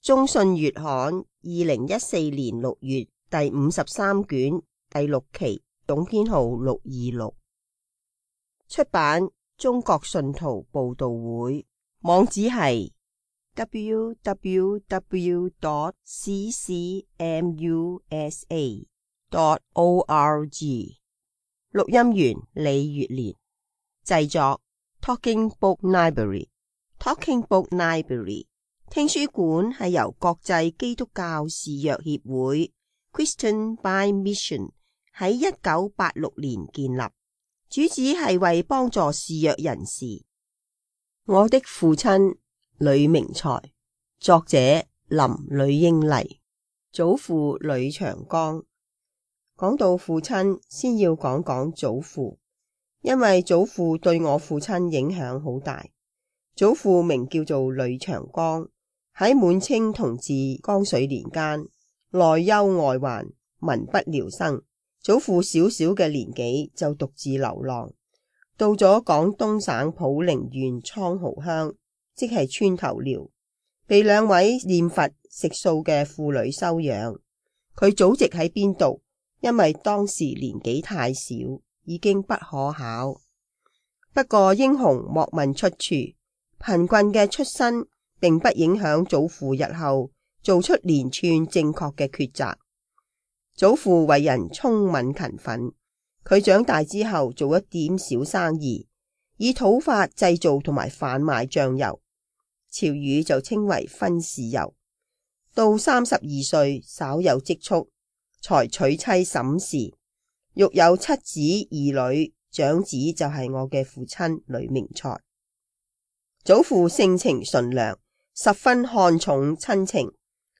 中信月刊2014年6月第53卷第6期，總編號626，出版中國信徒報道會，網址係 www.ccmusa.org。 錄音員李月蓮，製作 Talking Book Library。Talking Book Library 聽書館係由國際基督教視約協會 Christian by Mission 喺1986年建立，主旨係為幫助視約人士。我的父親呂明才，作者林呂英麗，祖父呂長江。講到父親，先要講講祖父，因為祖父對我父親影響好大。祖父名叫做呂長江，喺滿清同治光緒年間，內憂外患，民不聊生。祖父小小嘅年紀就獨自流浪，到咗廣東省普寧縣蒼蠔鄉，即係村頭寮，被兩位念佛食素嘅婦女收養。佢祖籍喺邊度？因為當時年紀太小，已經不可考。不過英雄莫問出處，貧困嘅出身並不影響祖父日後做出連串正確嘅抉擇。祖父為人聰敏勤奮，佢長大之後做一點小生意，以土法製造同埋販賣醬油，潮語就稱為分豉油。到32歲稍有積蓄，才娶妻沈氏，育有7子2女，長子就係我嘅父親呂明才。祖父性情純良，十分看重親情。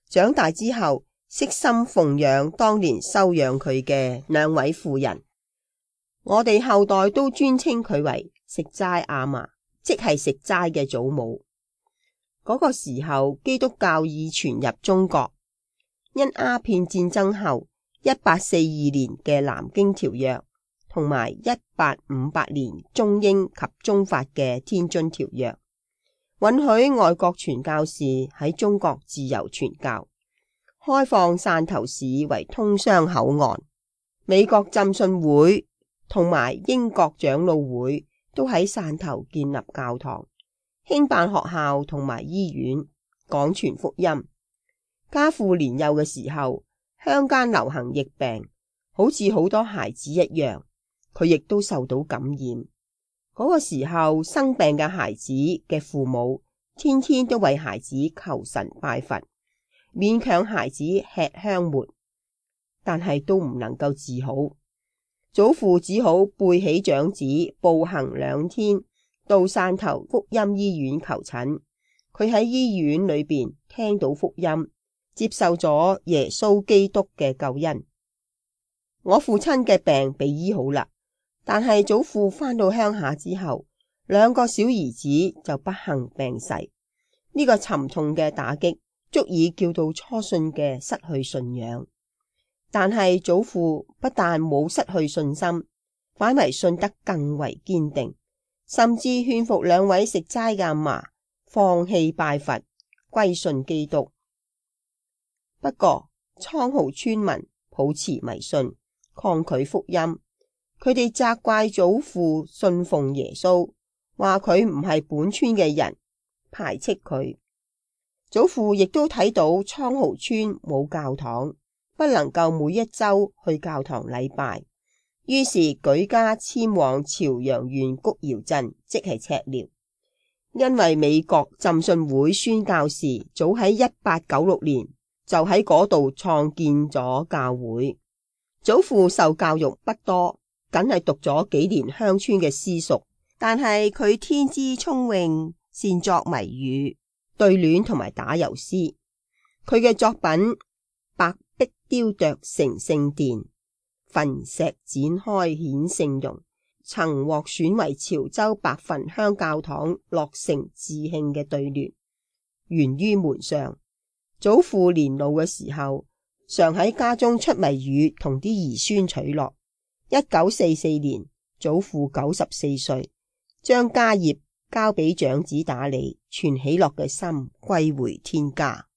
長大之後，悉心奉養當年收養佢嘅兩位婦人。我哋後代都尊稱佢為食齋阿嫲，即係食齋嘅祖母。嗰個時候，基督教已傳入中國。因鴉片戰爭後1842年嘅南京條約同埋1858年中英及中法嘅天津條約，允許外國傳教士喺中國自由傳教，開放汕頭市為通商口岸。美國浸信會同埋英國長老會都喺汕頭建立教堂，興辦學校同埋醫院，廣傳福音。家父年幼嘅時候，鄉間流行疫病，好似好多孩子一樣，佢亦都受到感染。嗰個時候，生病嘅孩子嘅父母天天都為孩子求神拜佛，勉強孩子吃香末，但係都唔能夠治好。祖父只好背起長子，步行2天到汕頭福音醫院求診。佢喺醫院裏邊聽到福音，接受咗耶穌基督嘅救恩。我父親嘅病被醫好啦，但係祖父返到鄉下之後，2個小兒子就不幸病逝。呢個沉重嘅打擊足以叫到初信嘅失去信仰。但係祖父不但冇失去信心，反為信得更為堅定，甚至勸服2位食齋嘅阿嫲放棄拜佛，歸信基督。不過蒼蠔村民抱持迷信，抗拒福音。佢哋責怪祖父信奉耶穌，話佢唔係本村嘅人，排斥佢。祖父亦都睇到蒼蠔村冇教堂，不能夠每一周去教堂禮拜，於是舉家遷往朝陽縣谷窯鎮，即係赤寮。因為美國浸信會宣教士早喺1896年就喺嗰度創建咗教會。祖父受教育不多，僅係讀咗幾年鄉村嘅私塾，但係佢天資聰穎，善作謎語、對聯同埋打油詩。佢嘅作品白壁雕琢成聖殿，焚石展開顯聖容，曾獲選為潮州白墳鄉教堂落成致慶嘅對聯，懸於門上。祖父年老嘅時候，常喺家中出謎語同啲兒孫取樂。1944年，祖父94歲，將家業交俾長子打理，存喜樂嘅心歸回天家。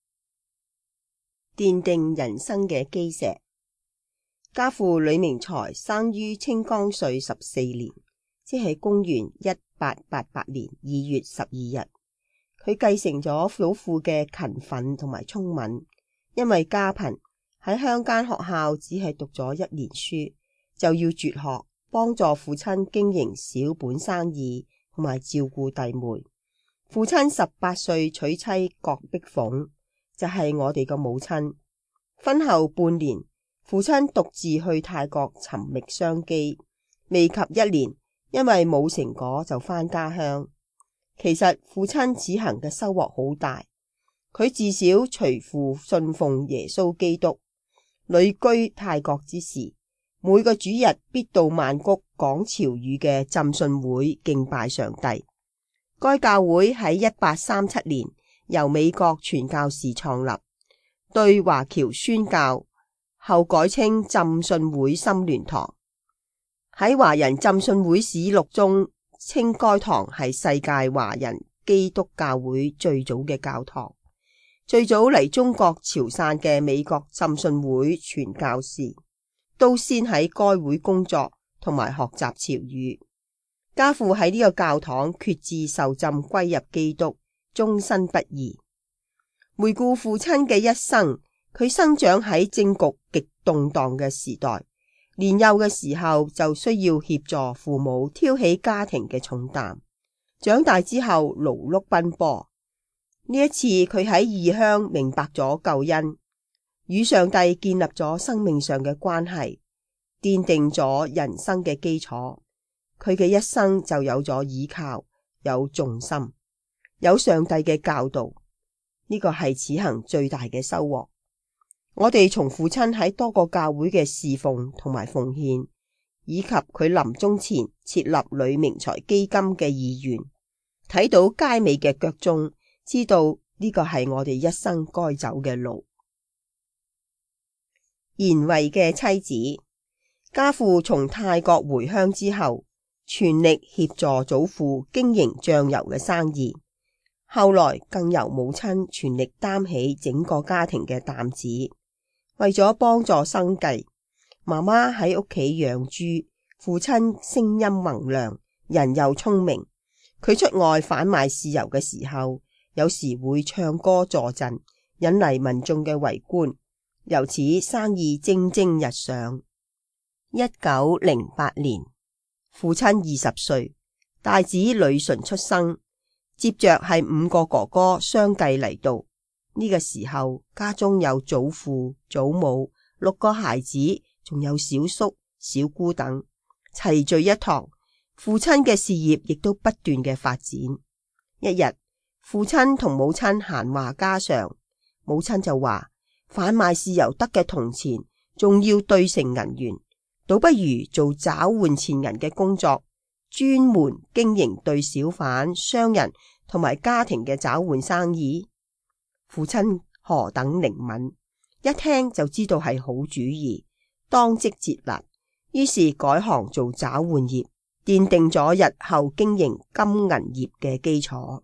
奠定人生嘅基石。家父呂明才生於清光緒14年，即係公元1888年2月12日。佢繼承咗祖父嘅勤奮同埋聰敏，因為家貧，喺鄉間學校只係讀咗1年書，就要輟學，幫助父親經營小本生意同埋照顧弟妹。父親18歲娶妻郭碧鳳，就係我哋嘅母親。婚後半年，父親獨自去泰國尋覓商機，未及1年，因為冇成果就返家鄉。其實父親此行嘅收穫好大，佢自小隨父信奉耶穌基督，旅居泰國之時，每個主日必到曼谷講潮語嘅浸信會敬拜上帝。該教會喺1837年由美國傳教士創立，對華僑宣教，後改稱浸信會心聯堂。喺華人浸信會史錄中，稱該堂係世界華人基督教會最早嘅教堂。最早嚟中國潮汕嘅美國浸信會傳教士，都先喺該會工作同埋學習潮語。家父喺呢個教堂決志受浸歸入基督，終身不移。回顧父親嘅一生，佢生長喺政局極動盪嘅時代，年幼嘅時候就需要協助父母挑起家庭嘅重擔。長大之後勞碌奔波，呢一次佢喺異鄉明白咗救恩，與上帝建立咗生命上嘅關係，奠定咗人生嘅基礎。佢嘅一生就有咗依靠，有重心，有上帝嘅教導，呢個係此行最大嘅收穫。我哋從父親喺多個教會嘅侍奉同埋奉獻，以及佢臨終前設立呂明才基金嘅意願，睇到佳美嘅腳蹤，知道呢個係我哋一生該走嘅路。賢惠嘅妻子，家父從泰國回鄉之後，全力協助祖父經營醬油嘅生意，後來更由母親全力擔起整個家庭嘅擔子。為咗幫助生計，媽媽喺屋企養豬，父親聲音宏亮，人又聰明。佢出外販賣豉油嘅時候，有時會唱歌助陣，引嚟民眾嘅圍觀，由此生意蒸蒸日上。1908年，父親20歲，大子呂純出生，接着係5個哥哥相繼嚟到。呢個時候，家中有祖父、祖母、6個孩子，仲有小叔、小姑等，齊聚一堂。父親嘅事業亦都不斷嘅發展。一日，父親同母親閒話家常，母親就話：販賣豉油得嘅銅錢，仲要兌成銀元，倒不如做找換錢銀嘅工作，專門經營對小販、商人同埋家庭嘅找換生意。父親何等靈敏，一聽就知道係好主意，當即接納，於是改行做找換業，奠定咗日後經營金銀業嘅基礎。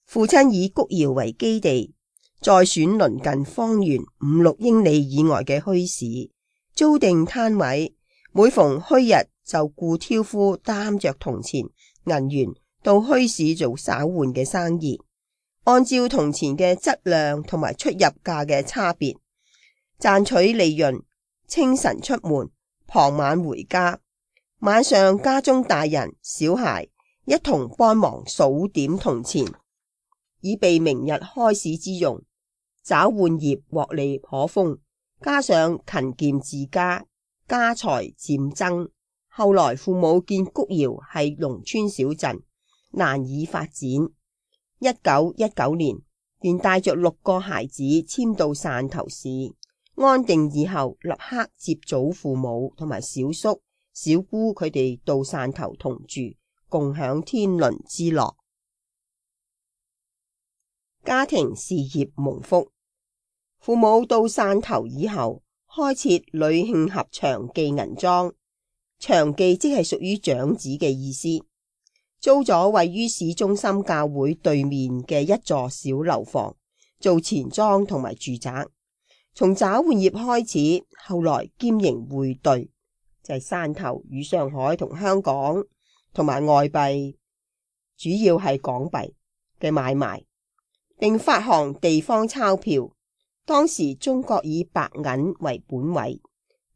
父親以谷窯為基地，再選鄰近方圓5-6英里以外嘅墟市，租定攤位，每逢墟日就雇挑夫擔着銅錢、銀元到墟市做找換嘅生意。按照銅錢嘅質量同埋出入價嘅差別，賺取利潤。清晨出門，傍晚回家。晚上家中大人小孩一同幫忙數點銅錢，以備明日開市之用。找換業獲利頗豐，加上勤儉自家，家財漸增。後來父母見谷窯係農村小鎮，難以發展。1919年，便帶着6個孩子遷到汕頭市，安定以後，立刻接祖父母同埋小叔、小姑佢哋到汕頭同住，共享天倫之樂。家庭事業蒙福，父母到汕頭以後，開設呂慶合長記銀莊，長記即係屬於長子嘅意思。租咗位於市中心教會對面嘅一座小樓房，做錢莊同埋住宅。從找換業開始，後來兼營匯兌，就係汕頭與上海同香港同埋外幣，主要係港幣嘅買賣，並發行地方鈔票。當時中國以白銀為本位，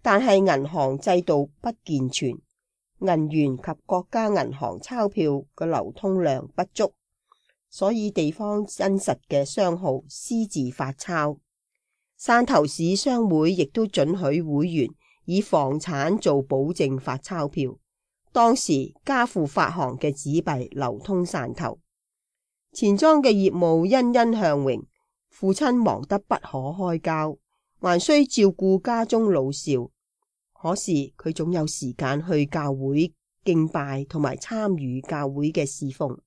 但係銀行制度不健全，銀元及國家銀行鈔票嘅流通量不足，所以地方真實嘅商號私自發鈔。汕頭市商會亦都准許會員以房產做保證發鈔票。當時家父發行嘅紙幣流通汕頭，錢莊嘅業務欣欣向榮。父親忙得不可開交，還需照顧家中老少。可是佢總有時間去教會敬拜同埋參與教會嘅侍奉。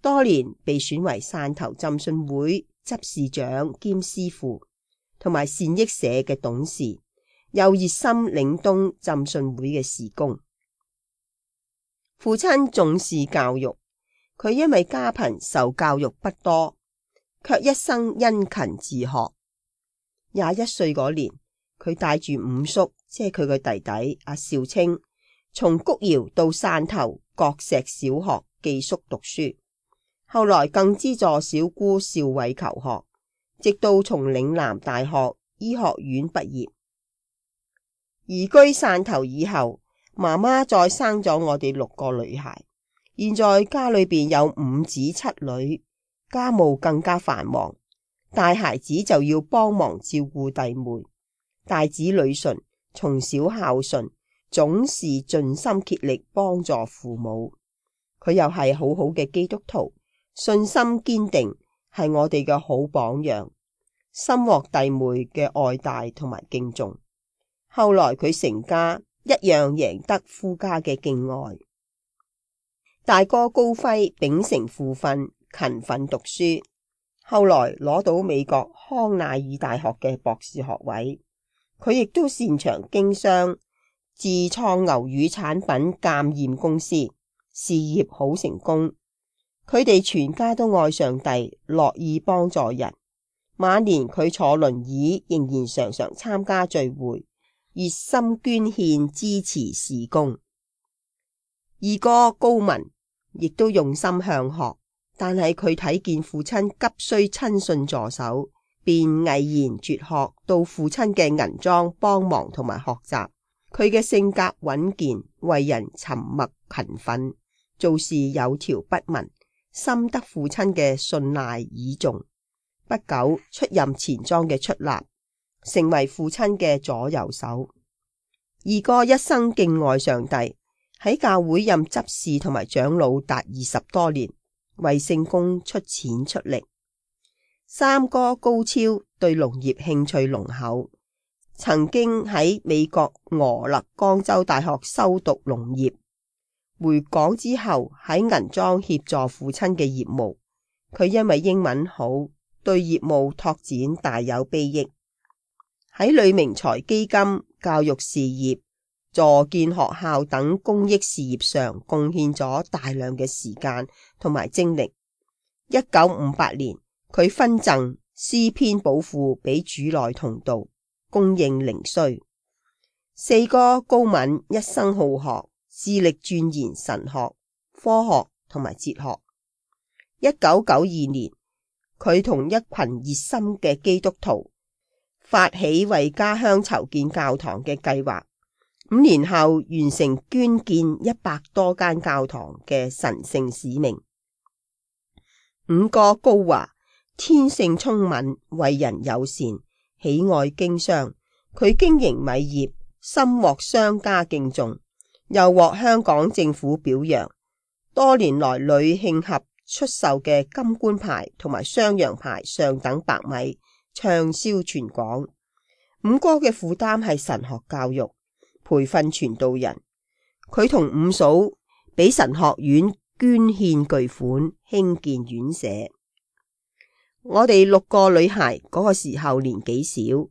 多年被選為汕頭浸信會執事長兼師傅，同埋善益社嘅董事，又熱心領東浸信會嘅事工。父親重視教育，佢因為家貧受教育不多，卻一生殷勤自學。21歲嗰年，佢帶住五叔，即係佢嘅弟弟阿邵清，從谷窯到汕頭國石小學寄宿讀書。後來更資助小姑邵偉求學，直到從嶺南大學醫學院畢業。移居汕頭以後，媽媽再生咗我哋6個女孩，現在家裏邊有5子7女，家務更加繁忙。大孩子就要幫忙照顧弟妹，大子女順從小孝順，總是盡心竭力幫助父母。佢又係好好嘅基督徒，信心堅定，係我哋嘅好榜樣，深獲弟妹嘅愛戴同埋敬重。後來佢成家，一樣贏得夫家嘅敬愛。大哥高輝秉承父訓，勤奮讀書，後來攞到美國康乃爾大學嘅博士學位。佢亦都擅長經商，自創牛乳產品鑒驗公司，事業好成功。佢哋全家都愛上帝，樂意幫助人。晚年佢坐輪椅，仍然常常參加聚會，熱心捐獻支持事工。二哥高文亦都用心向學，但係佢睇見父親急需親信助手，便毅然絕學，到父親嘅銀莊幫忙同埋學習。佢嘅性格穩健，為人沉默勤奮，做事有條不紊，深得父親嘅信賴倚重。不久出任錢莊嘅出納，成為父親嘅左右手。二哥一生敬愛上帝，喺教會任執事同埋長老達20多年，為聖工出錢出力。三哥高超對農業興趣濃厚，曾經喺美國俄勒岡州大學修讀農業，回港之後喺銀莊協助父親嘅業務。佢因為英文好，對業務拓展大有裨益。喺呂明才基金、教育事業、助建學校等公益事業上貢獻咗大量嘅時間同埋精力。1958年，佢分贈詩篇寶庫俾主內同道，供應靈需。四哥高敏一生好學，致力鑽研神學、科學同埋哲學。1992年，佢同一群熱心嘅基督徒發起為家鄉籌建教堂嘅計劃，5年後完成捐建100多間教堂嘅神聖使命。五哥高華天性聰敏，為人友善，喜愛經商。佢經營米業，深獲商家敬重，又獲香港政府表揚。多年來屢慶合出售嘅金冠牌同埋雙陽牌上等白米暢銷全港。五哥嘅負擔係神學教育，培訓傳道人。佢同五嫂俾神學院捐獻巨款，興建院舍。我哋6個女孩嗰個時候年紀小，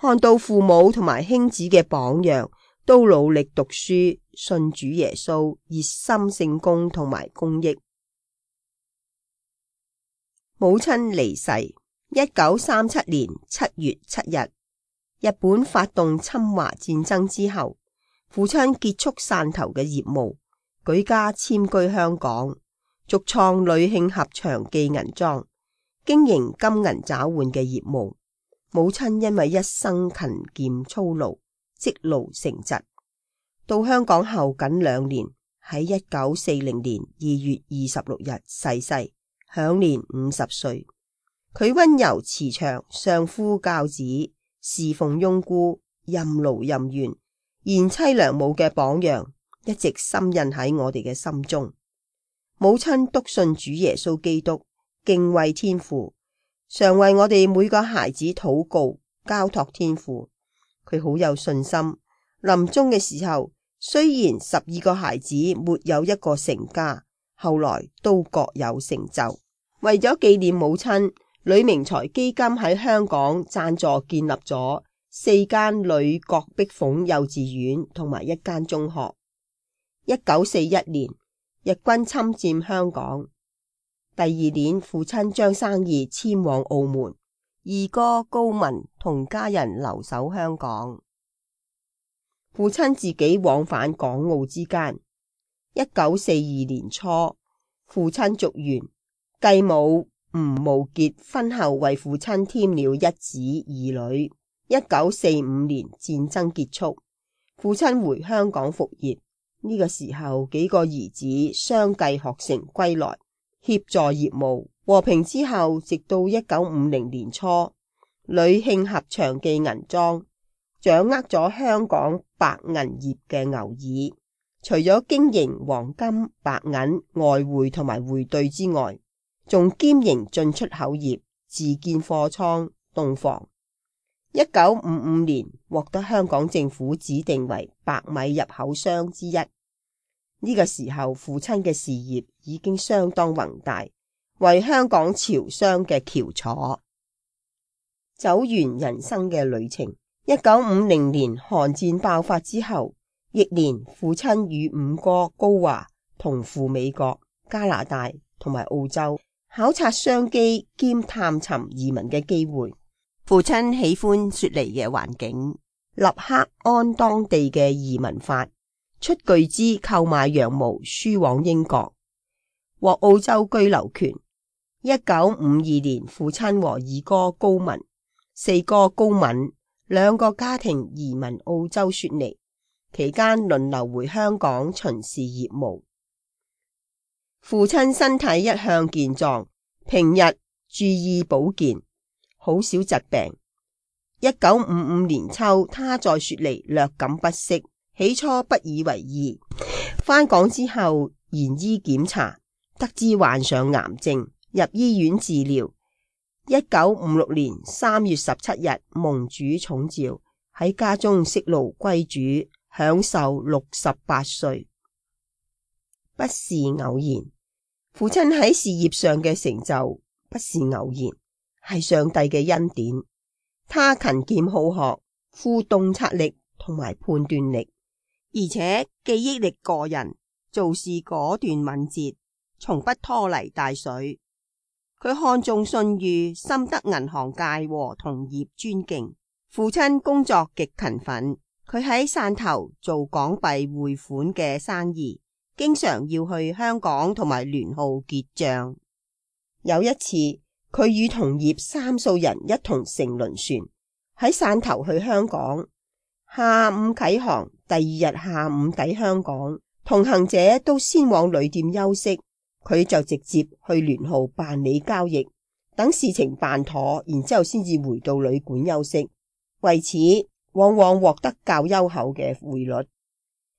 看到父母同埋兄子嘅榜樣，都努力讀書，信主耶穌，熱心聖工同埋公益。母親離世1937年7月7日，日本發動侵華戰爭之後，父親結束汕頭嘅業務，舉家遷居香港，續創呂慶合長記銀莊，經營金銀找換嘅業務。母親因為一生勤儉操勞，積勞成疾，到香港後僅2年，喺1940年2月26日逝世，享年50歲。佢溫柔慈祥，相夫教子，侍奉翁姑，任勞任怨，賢妻良母嘅榜樣，一直深印喺我哋嘅心中。母親篤信主耶穌基督，敬畏天父，常為我哋每個孩子禱告，交託天父。佢好有信心。臨終嘅時候，雖然12個孩子沒有一個成家，後來都各有成就。為咗紀念母親，呂明才基金喺香港贊助建立咗4間呂郭碧鳳幼稚園同埋1間中學。1941年，日軍侵佔香港。第2年，父親將生意遷往澳門，二哥高文同家人留守香港。父親自己往返港澳之間。1942年初，父親續弦，繼母吳慕潔婚後為父親添了1子2女。1945年戰爭結束，父親回香港復業。呢個時候，幾個兒子相繼學成歸來，協助業務。和平之後，直到1950年初，呂慶合長記銀莊掌握咗香港白銀業嘅牛耳，除咗經營黃金、白銀、外匯同埋匯兌之外，仲兼營進出口業，自建貨倉、凍房。1955年獲得香港政府指定為白米入口商之一。呢個時候，父親嘅事業已經相當宏大，為香港潮商嘅翹楚。走完人生嘅旅程。1950年韓戰爆發之後，翌年父親與5哥高華同赴美國、加拿大同埋澳洲考察商機兼探尋移民嘅機會。父親喜歡雪梨嘅環境，立刻按當地嘅移民法，出巨資購買羊毛輸往英國，獲澳洲居留權。1952年，父親和二哥高文、4哥高敏2個家庭移民澳洲雪梨，期間輪流回香港巡視業務。父親身體一向健壯，平日注意保健，好少疾病。1955年秋，他在雪梨略感不適，起初不以為意。返港之後延醫檢查，得知患上癌症，入醫院治療。1956年3月17日，蒙主寵召，喺家中息怒歸主，享壽68歲。不是偶然，父親喺事業上嘅成就不是偶然，係上帝嘅恩典。他勤儉好學，富洞察力同埋判斷力，而且記憶力過人，做事果斷敏捷，從不拖泥帶水。佢看重信譽，深得銀行界和同業尊敬。父親工作極勤奮，佢喺汕頭做港幣匯款嘅生意，經常要去香港同埋聯號結賬。有一次，佢與同業30人一同乘輪船喺汕頭去香港，下午啟航，第2日下午抵香港。同行者都先往旅店休息，佢就直接去聯號辦理交易，等事情辦妥，然之後先至回到旅館休息。為此，往往獲得較優厚嘅匯率。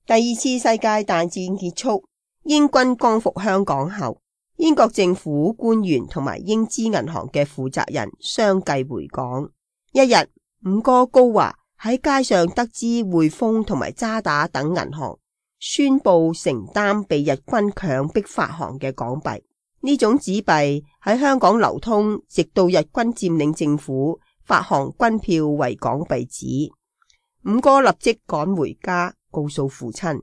第2次世界大戰結束，英軍光復香港後，英國政府官員同埋英資銀行嘅負責人相繼回港。一日，5哥高華喺街上得知匯豐同埋渣打等銀行宣布承擔被日軍強迫發行嘅港幣，呢種紙幣喺香港流通，直到日軍佔領政府發行軍票為港幣紙。5哥立即趕回家，告訴父親。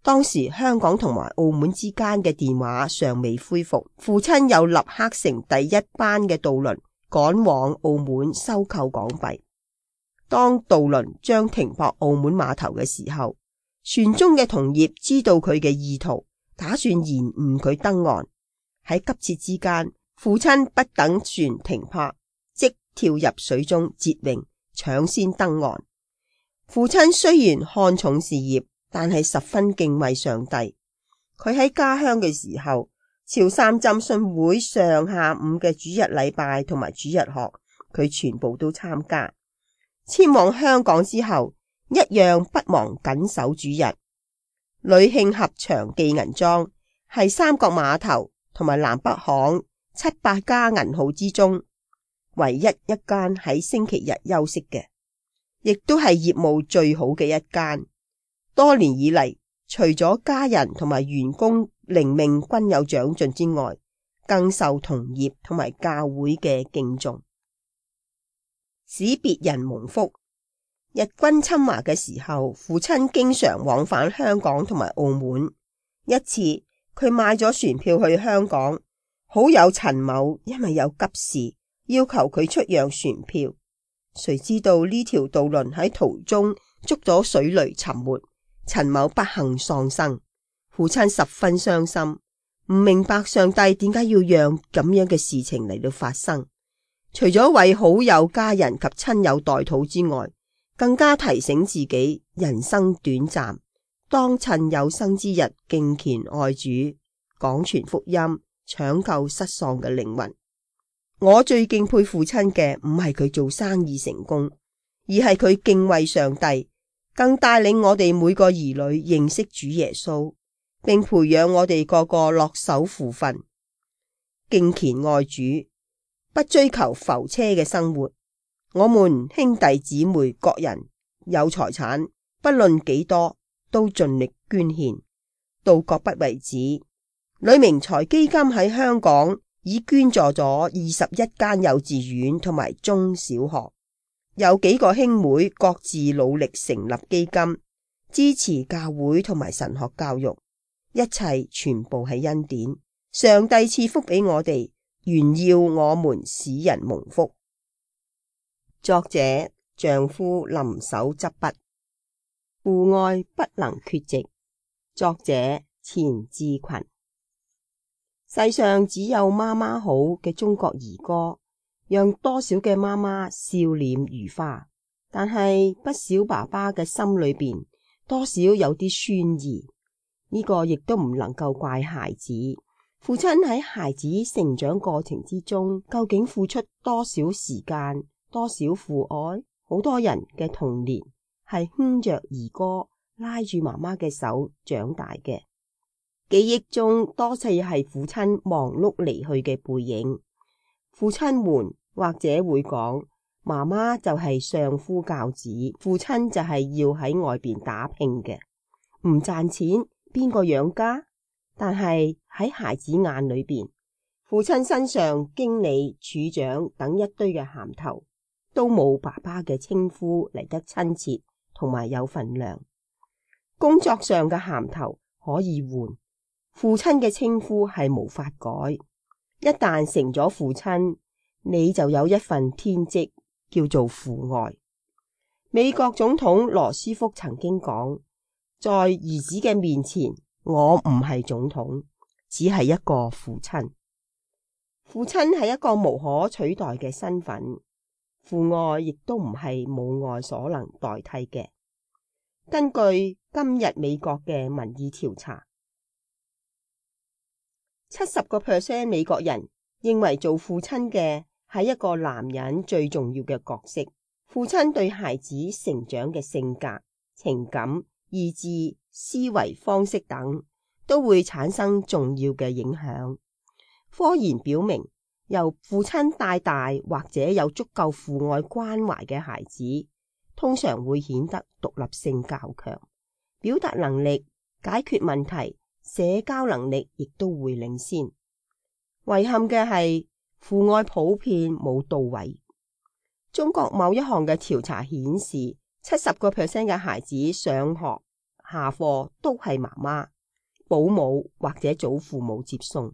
當時香港同埋澳門之間嘅電話尚未恢復，父親又立刻乘第1班嘅渡輪趕往澳門收購港幣。當渡輪將停泊澳門碼頭嘅時候，船中嘅同業知道佢嘅意圖，打算延誤佢登岸。喺急切之間，父親不等船停泊，即跳入水中截泳，搶先登岸。父親雖然看重事業，但係十分敬畏上帝。佢喺家鄉嘅時候，潮汕浸信會上下午嘅主日禮拜同埋主日學，佢全部都參加。遷往香港之後，一樣不忘謹守主日。呂慶合祥記銀莊係三角碼頭同埋南北行7-8家銀號之中唯一一間喺星期日休息嘅，亦都係業務最好嘅一間。多年以嚟，除咗家人同埋員工靈命均有長進之外，更受同業同埋教會嘅敬重，使別人蒙福。日軍侵華嘅時候，父親經常往返香港同埋澳門。一次，佢買咗船票去香港，好友陳某因為有急事，要求佢出讓船票。誰知道呢條渡輪喺途中捉咗水雷沉沒，陳某不幸喪生。父親十分傷心，唔明白上帝點解要讓咁樣嘅事情嚟到發生。除咗為好友家人及親友代禱之外，更加提醒自己人生短暫，當趁有生之日敬虔愛主，廣傳福音，搶救失喪嘅靈魂。我最敬佩父親嘅唔係佢做生意成功，而係佢敬畏上帝，更帶領我哋每個兒女認識主耶穌，並培養我哋個個落手父訓，敬虔愛主，不追求浮車嘅生活。我們兄弟姊妹各人有財產，不論幾多，都盡力捐獻，到各不為止。呂明才基金喺香港已捐助咗21間幼稚園同埋中小學，有幾個兄妹各自努力成立基金，支持教會同埋神學教育，一切全部係恩典。上帝賜福俾我哋，原要我們使人蒙福。作者丈夫林手執筆，父愛不能缺席。作者錢志群。世上只有媽媽好嘅中國兒歌，讓多少嘅媽媽笑臉如花，但係不少爸爸嘅心裏邊多少有啲酸意。呢個亦都唔能夠怪孩子。父親喺孩子成長過程之中，究竟付出多少時間，多少父愛？好多人嘅童年係哼着兒歌，拉住媽媽嘅手長大嘅。記憶中多次係父親忙碌離去嘅背影。父親們或者會講，媽媽就係相夫教子，父親就係要喺外邊打拼嘅，唔賺錢邊個養家？但係喺孩子眼裏邊，父親身上經理、處長等一堆嘅銜頭，都冇爸爸嘅稱呼嚟得親切同埋有份量。工作上嘅銜頭可以換，父親嘅稱呼係無法改。一旦成咗父親，你就有一份天職叫做父愛。美國總統羅斯福曾經講，在兒子嘅面前，我唔係總統，只係一個父親。父親係一個無可取代嘅身份，父愛亦都唔係母愛所能代替嘅。根據今日美國嘅民意調查，70% 美國人認為做父親嘅係一個男人最重要嘅角色。父親對孩子成長嘅性格、情感、意志、思維方式等都會產生重要嘅影響。科研表明，由父親帶大或者有足夠父愛關懷嘅孩子，通常會顯得獨立性較強，表達能力、解決問題、社交能力亦都會領先。遺憾嘅係，父愛普遍冇到位。中國某一項嘅調查顯示，70% 嘅孩子上學下課都係媽媽、保姆或者祖父母接送。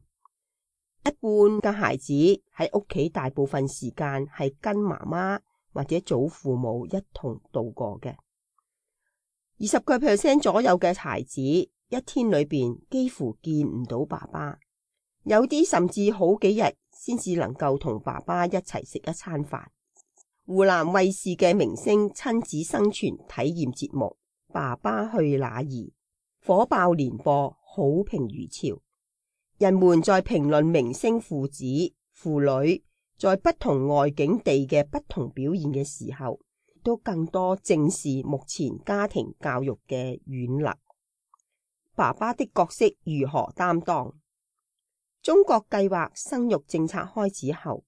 一半嘅孩子喺屋企大部分時間係跟媽媽或者祖父母一同度過嘅。20% 左右嘅孩子一天裏邊幾乎見唔到爸爸，有啲甚至好幾日先至能夠同爸爸一齊食一餐飯。湖南衛視嘅明星親子生存體驗節目《爸爸去哪兒》火爆連播，好評如潮。人們在評論明星父子父女在不同外景地嘅不同表現嘅時候，都更多正視目前家庭教育嘅軟肋。爸爸的角色如何擔當？中國計劃生育政策開始後，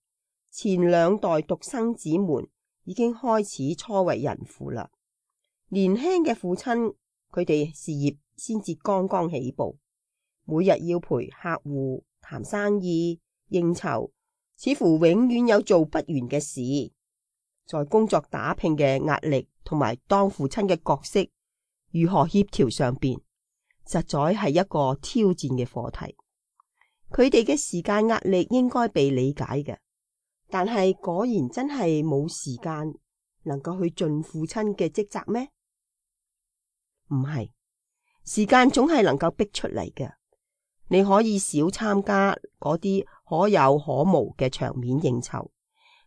前2代獨生子們已經開始初為人父啦。年輕嘅父親，佢哋事業先至剛剛起步，每日要陪客戶談生意應酬，似乎永遠有做不完嘅事。在工作打拼嘅壓力同埋當父親嘅角色如何協調上邊，實在係一個挑戰嘅課題。佢哋嘅時間壓力應該被理解嘅，但係果然真係冇時間能夠去盡父親嘅職責咩？唔係，時間總係能夠逼出嚟嘅。你可以少參加嗰啲可有可無嘅場面應酬，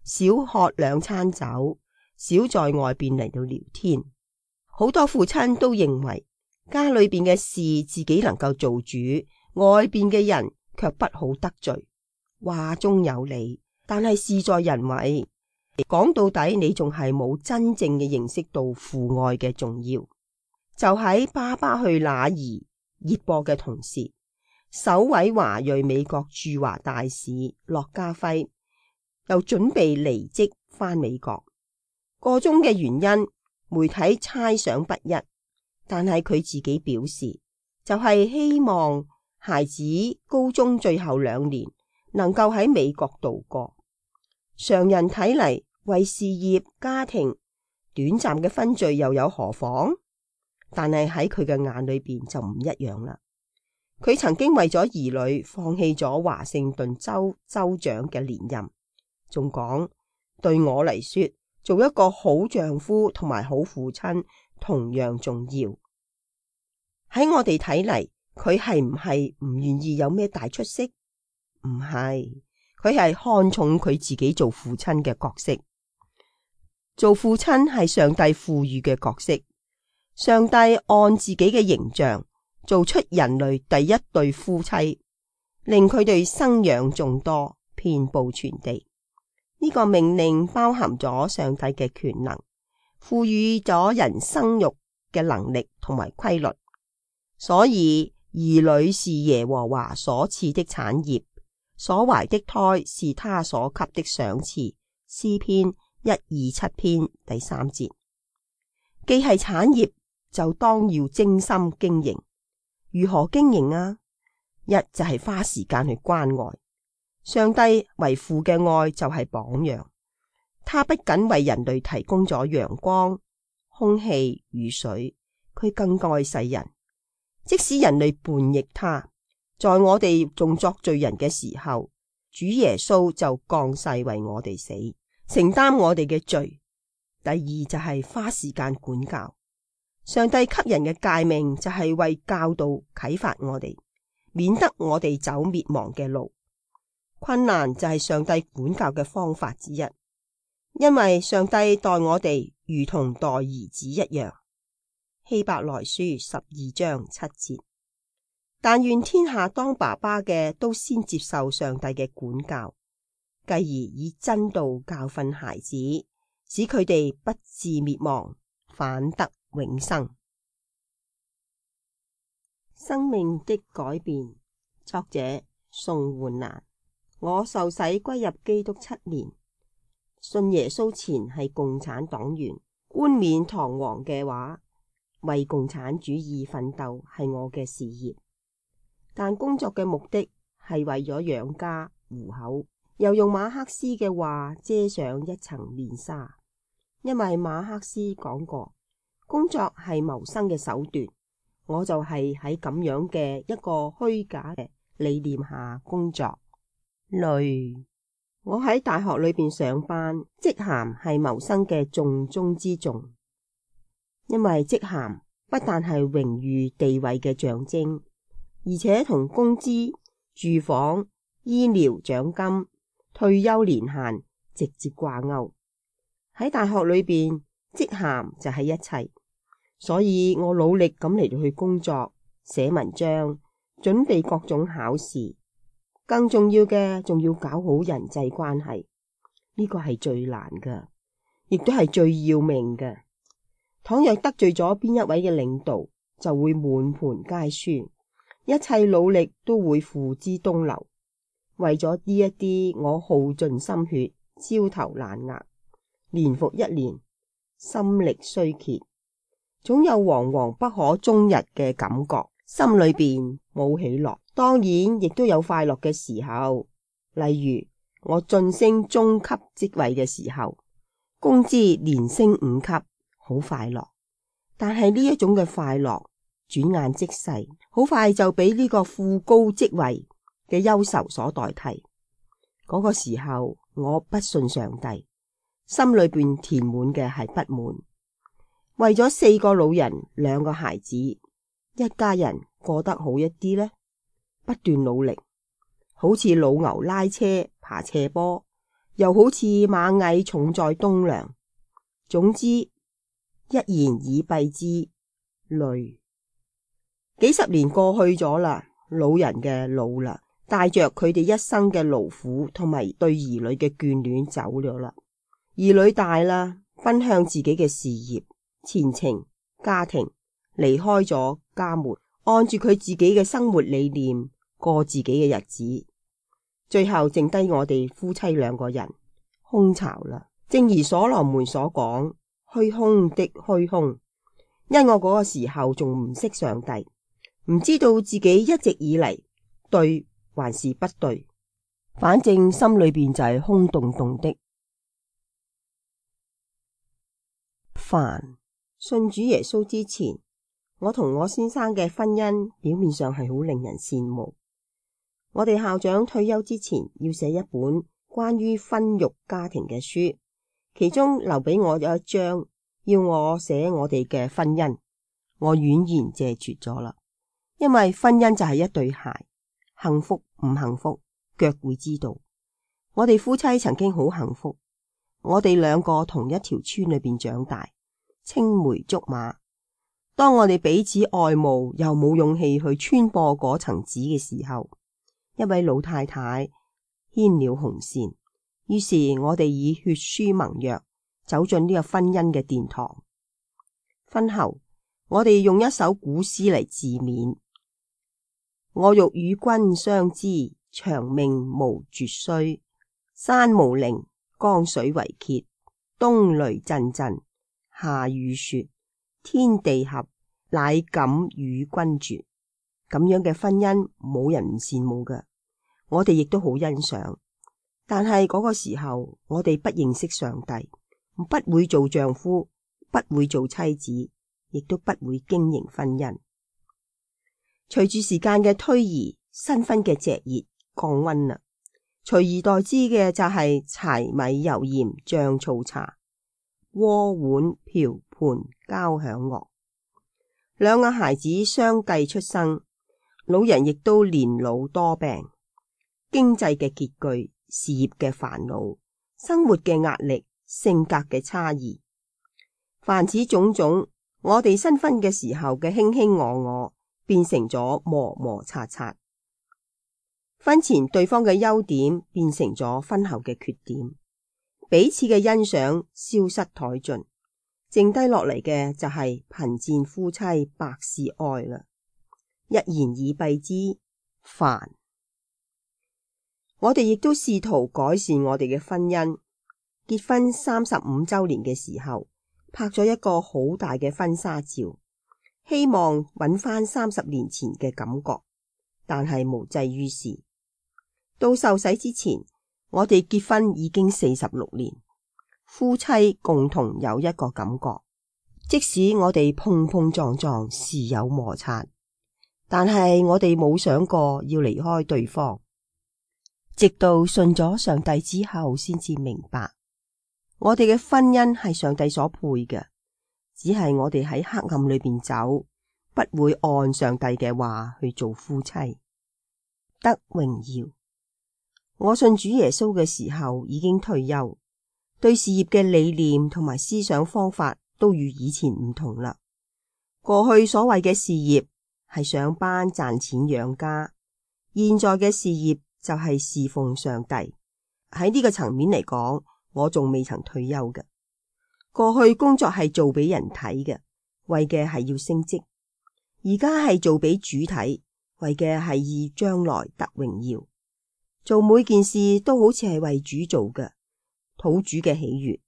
少喝2餐酒，少在外邊嚟到聊天。好多父親都認為家裏邊嘅事自己能夠做主，外邊嘅人卻不好得罪。話中有理，但係事在人為。講到底，你仲係冇真正嘅認識到父愛嘅重要。就喺《爸爸去哪兒》熱播嘅同時，首位華裔美國駐華大使駱家輝又準備離職返美國。個中嘅原因，媒體猜想不一，但係佢自己表示，就係希望孩子高中最後2年能夠喺美國度過。常人睇嚟，為事業家庭短暫嘅分聚又有何妨？但係喺佢嘅眼裏邊就唔一樣啦。佢曾經為咗兒女放棄咗華盛頓州州長嘅連任，仲講，對我嚟說，做一個好丈夫同埋好父親同樣重要。喺我哋睇嚟，佢係唔係唔願意有咩大出息？唔係，佢係看重佢自己做父親嘅角色。做父親係上帝賦予嘅角色。上帝按自己嘅形象做出人類第一對夫妻，令佢哋生養眾多，遍布全地。呢個命令包含咗上帝嘅權能，賦予咗人生育嘅能力同埋規律。所以兒女是耶和華所賜的產業，所懷的胎是他所給的賞賜。詩篇127篇第3節。既係產業，就當要精心經營。如何經營啊？一就係花時間去關愛。上帝為父嘅愛就係榜樣，他不僅為人類提供咗陽光、空氣、雨水，佢更愛世人。即使人類叛逆他，在我哋仲作罪人嘅時候，主耶穌就降世為我哋死，承擔我哋嘅罪。第二就係花時間管教。上帝給人嘅誡命就係為教導啟發我哋，免得我哋走滅亡嘅路。困難就係上帝管教嘅方法之一，因為上帝待我哋如同待兒子一樣。希伯來書12章7節。但願天下當爸爸嘅都先接受上帝嘅管教，繼而以真道教訓孩子，使佢哋不致滅亡，反得永生。生命的改變，作者宋煥蘭。我受洗歸入基督7年，信耶穌前係共產黨員，冠冕堂皇嘅話，為共產主義奮鬥係我嘅事業，但工作嘅目的係為咗養家糊口，又用馬克思嘅話遮上一層面紗，因為馬克思講過，工作係謀生嘅手段。我就係喺咁樣嘅一個虛假嘅理念下工作。累。我喺大學裏邊上班，職銜係謀生嘅重中之重，因為職銜不但係榮譽地位嘅象徵，而且同工資、住房、醫療獎金、退休年限直接掛鈎。喺大學裏邊，職銜就係一切，所以我努力咁嚟到去工作、寫文章、準備各種考試。更重要嘅，仲要搞好人際關係，呢個係最難嘅，亦都係最要命嘅。倘若得罪咗邊一位嘅領導，就會滿盤皆輸，一切努力都會付之東流。為咗呢一啲，我耗盡心血，焦頭爛額，年復一年，心力衰竭，總有惶惶不可終日嘅感覺，心裏邊冇喜樂。當然亦都有快樂嘅時候，例如我晉升中級職位嘅時候，工資連升5級，好快樂。但係呢一種嘅快樂轉眼即逝，好快就俾呢個副高職位嘅憂愁所代替。嗰個時候我不信上帝，心裏邊填滿嘅係不滿。為咗4個老人2個孩子，一家人過得好一啲呢，不斷努力，好似老牛拉車爬斜坡，又好似螞蟻重載棟樑。總之一言以蔽之，累。幾十年過去咗啦，老人嘅老啦，帶着佢哋一生嘅勞苦同埋對兒女嘅眷戀走咗啦。兒女大啦，奔向自己嘅事業、前程、家庭，離開咗家門，按住佢自己嘅生活理念過自己嘅日子，最後剩低我哋夫妻2個人，空巢啦。正如所羅門所講，虛空的虛空。因我嗰個時候仲唔識上帝，唔知道自己一直以嚟對還是不對，反正心裏邊就係空洞洞的。煩。信主耶穌之前，我同我先生嘅婚姻表面上係好令人羨慕。我哋校長退休之前要寫一本關於婚育家庭嘅書，其中留俾我有一章，要我寫我哋嘅婚姻。我婉言謝絕咗啦，因為婚姻就係一對鞋，幸福唔幸福腳會知道。我哋夫妻曾經好幸福，我哋2個同一條村裏邊長大，青梅竹馬。當我哋彼此愛慕又冇勇氣去穿破嗰層紙嘅時候，一位老太太牽了紅線，於是我哋以血書盟約走進呢個婚姻嘅殿堂。婚後我哋用一首古詩嚟自勉：我欲與君相知，長命無絕衰。山無陵，江水為竭，冬雷陣陣，夏雨雪。天地合，乃敢與君絕。咁樣嘅婚姻冇人唔羨慕㗎，我哋亦都好欣賞。但係嗰個時候，我哋不認識上帝，不會做丈夫，不會做妻子，亦都不會經營婚姻。隨住時間嘅推移，新婚嘅炙熱降溫啦，隨而代之嘅就係柴米油鹽醬醋茶，鍋碗瓢盆交響樂。2個孩子相繼出生，老人亦都年老多病，經濟嘅拮據，事業嘅煩惱，生活嘅壓力，性格嘅差異，凡此種種，我哋新婚嘅時候嘅卿卿我我，變成咗磨磨擦擦。婚前對方嘅優點變成咗婚後嘅缺點，彼此嘅欣賞消失殆盡，剩低落嚟嘅就係貧賤夫妻百事哀啦。一言以蔽之，煩。我哋亦都試圖改善我哋嘅婚姻。結婚35週年嘅時候，拍咗一個好大嘅婚紗照，希望揾翻30年前嘅感覺，但係無濟於事。到受洗之前，我哋結婚已經46年，夫妻共同有一個感覺，即使我哋碰碰撞撞，時有摩擦，但係我哋冇想過要離開對方。直到信咗上帝之後，先至明白，我哋嘅婚姻係上帝所配嘅，只係我哋喺黑暗裏邊走，不會按上帝嘅話去做夫妻。得榮耀。我信主耶穌嘅時候已經退休，對事業嘅理念同埋思想方法都與以前唔同啦。過去所謂嘅事業係上班賺錢養家，現在嘅事業就係侍奉上帝。喺呢個層面嚟講，我仲未曾退休嘅。過去工作係做俾人睇嘅，為嘅係要升職；而家係做俾主睇，為嘅係以將來得榮耀。做每件事都好似係為主做嘅，討主嘅喜悅。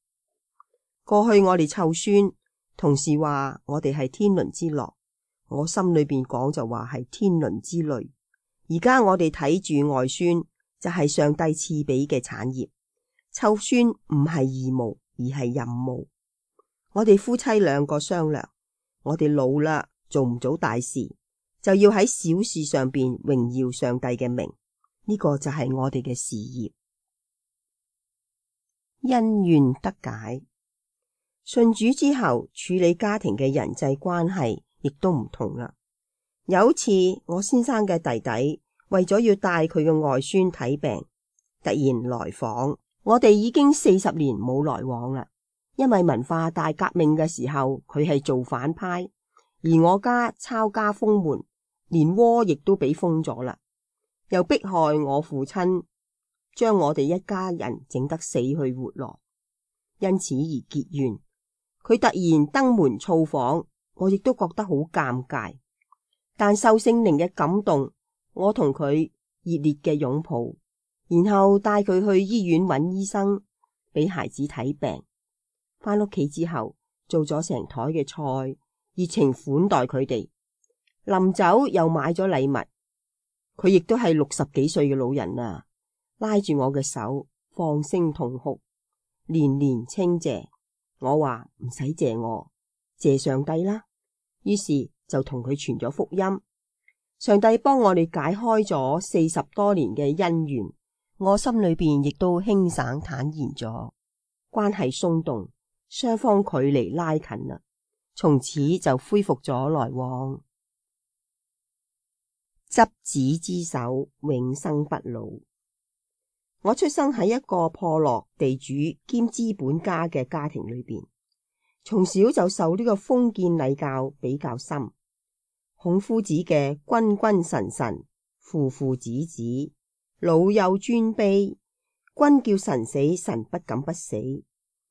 過去我哋湊孫，同事話我哋係天倫之樂，我心裏邊講就話係天倫之累。而家我哋睇住外孫，就係上帝賜俾嘅產業。湊孫唔係義務，而係任務。我哋夫妻兩個商量，我哋老啦，做唔到大事，就要喺小事上邊榮耀上帝嘅名。呢個就係我哋嘅事業。恩怨得解。信主之後，處理家庭嘅人際關係亦都唔同啦。有一次，我先生嘅弟弟為咗要帶佢嘅外孫睇病，突然來訪。我哋已經40年冇來往啦，因為文化大革命嘅時候，佢係做反派，而我家抄家封門，連窩亦都俾封咗啦。又迫害我父親，將我哋一家人整得死去活來，因此而結怨。佢突然登門造訪，我亦都覺得好尷尬。但受聖靈嘅感動，我同佢熱烈嘅擁抱，然後帶佢去醫院揾醫生，俾孩子睇病。返屋企之後，做咗成台嘅菜，熱情款待佢哋。臨走又買咗禮物。佢亦都係60幾歲嘅老人啊，拉住我嘅手，放聲痛哭，連連稱謝。我話唔使謝我，謝上帝啦。於是就同佢傳咗福音，上帝幫我哋解開咗40多年嘅恩怨，我心裏邊亦都輕省坦然咗，關係鬆動，雙方距離拉近啦，從此就恢復咗來往。執子之手，永生不老。我出生喺一個破落地主兼資本家嘅家庭裏邊，從小就受呢個封建禮教比較深。孔夫子嘅君君臣臣，父父子子，老幼尊卑，君叫臣死，臣不敢不死；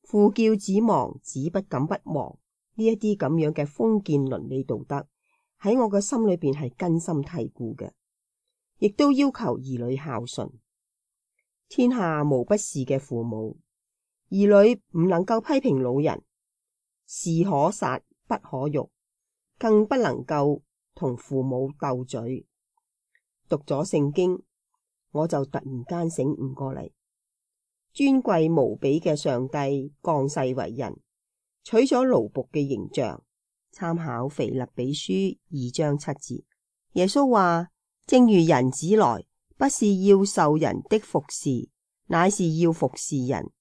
父叫子亡，子不敢不亡。呢一啲咁樣嘅封建倫理道德，喺我嘅心裏邊係根深蒂固嘅，亦都要求兒女孝順。天下無不是嘅父母，兒女唔能夠批評老人，士可殺不可辱，更不能夠同父母鬥嘴。讀咗聖經，我就突然間醒悟過嚟，尊貴無比嘅上帝降世為人，取咗奴僕嘅形象。參考腓立比書2章7節，耶穌話：正如人子來，不是要受人的服侍，乃是要服侍人，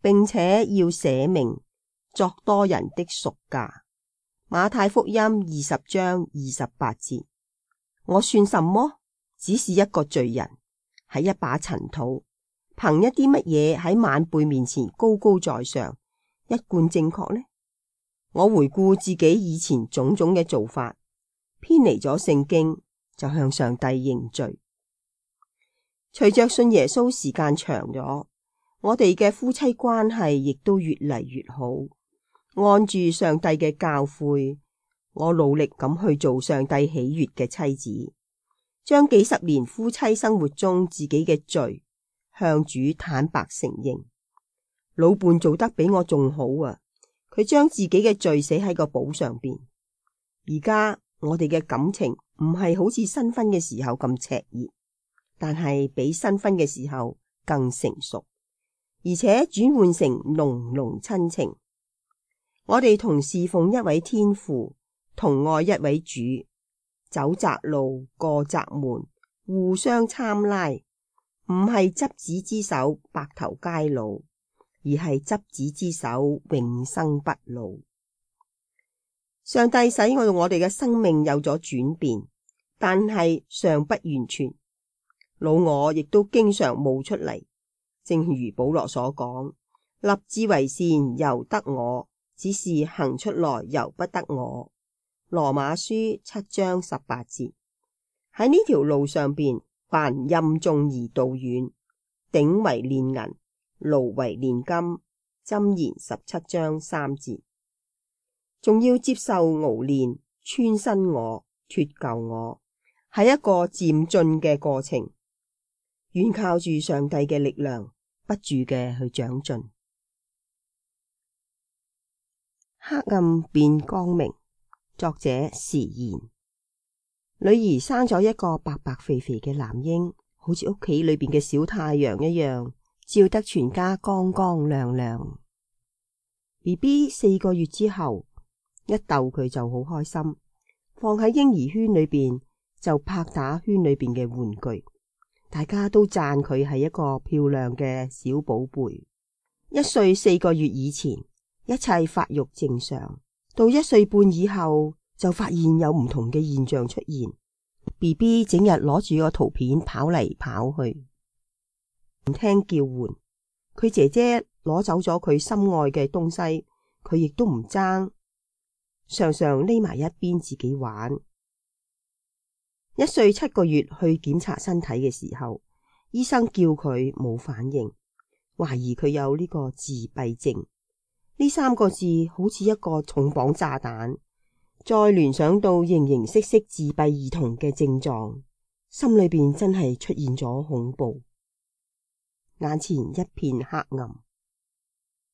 並且要捨命作多人的贖價。馬太福音20章28節。我算什麼？只是一個罪人，係一把塵土，憑一啲乜嘢喺晚輩面前高高在上，一貫正確呢？我回顧自己以前種種嘅做法，偏離咗聖經，就向上帝認罪。隨着信耶穌時間長咗，我哋嘅夫妻關係亦都越嚟越好。按住上帝嘅教誨，我努力咁去做上帝喜悅嘅妻子，將幾十年夫妻生活中自己嘅罪向主坦白承認。老伴做得比我仲好啊！佢將自己嘅罪寫喺個簿上邊。而家我哋嘅感情唔係好似新婚嘅時候咁熾熱，但係比新婚嘅時候更成熟，而且轉換成濃濃親情。我哋同侍奉一位天父，同愛一位主，走窄路過窄門，互相參拉，唔係執子之手白頭偕老，而係執子之手永生不老。上帝使我哋嘅生命有咗轉變，但係尚不完全。老我亦都經常冒出嚟，正如保羅所講，立志為善由得我，只是行出來由不得我。羅馬書7章18節。喺呢條路上邊，凡任重而道遠，鼎為煉銀，爐為煉金。箴言17章3節。仲要接受熬煉，穿新我，脫舊我，係一個漸進嘅過程，願靠住上帝嘅力量，不住嘅去長進。黑暗變光明。作者時賢。女兒生咗一個白白肥肥嘅男嬰，好似屋企裏邊嘅小太陽一樣，照得全家光光亮亮。BB 4個月之後，一逗佢就好開心，放喺嬰兒圈裏邊就拍打圈裏邊嘅玩具，大家都讚佢係一個漂亮嘅小寶貝。1歲4個月以前，一切發育正常，到1歲半以後就發現有唔同嘅現象出現。BB 整日攞住個圖片跑嚟跑去，唔聽叫喚。佢姐姐攞走咗佢心愛嘅東西，佢亦都唔爭，常常匿埋一邊自己玩。1歲7個月去檢查身體嘅時候，醫生叫佢冇反應，懷疑佢有呢個自閉症。呢3個字好似一個重磅炸彈，再聯想到形形色色自閉兒童嘅症狀，心裏邊真係出現咗恐怖，眼前一片黑暗。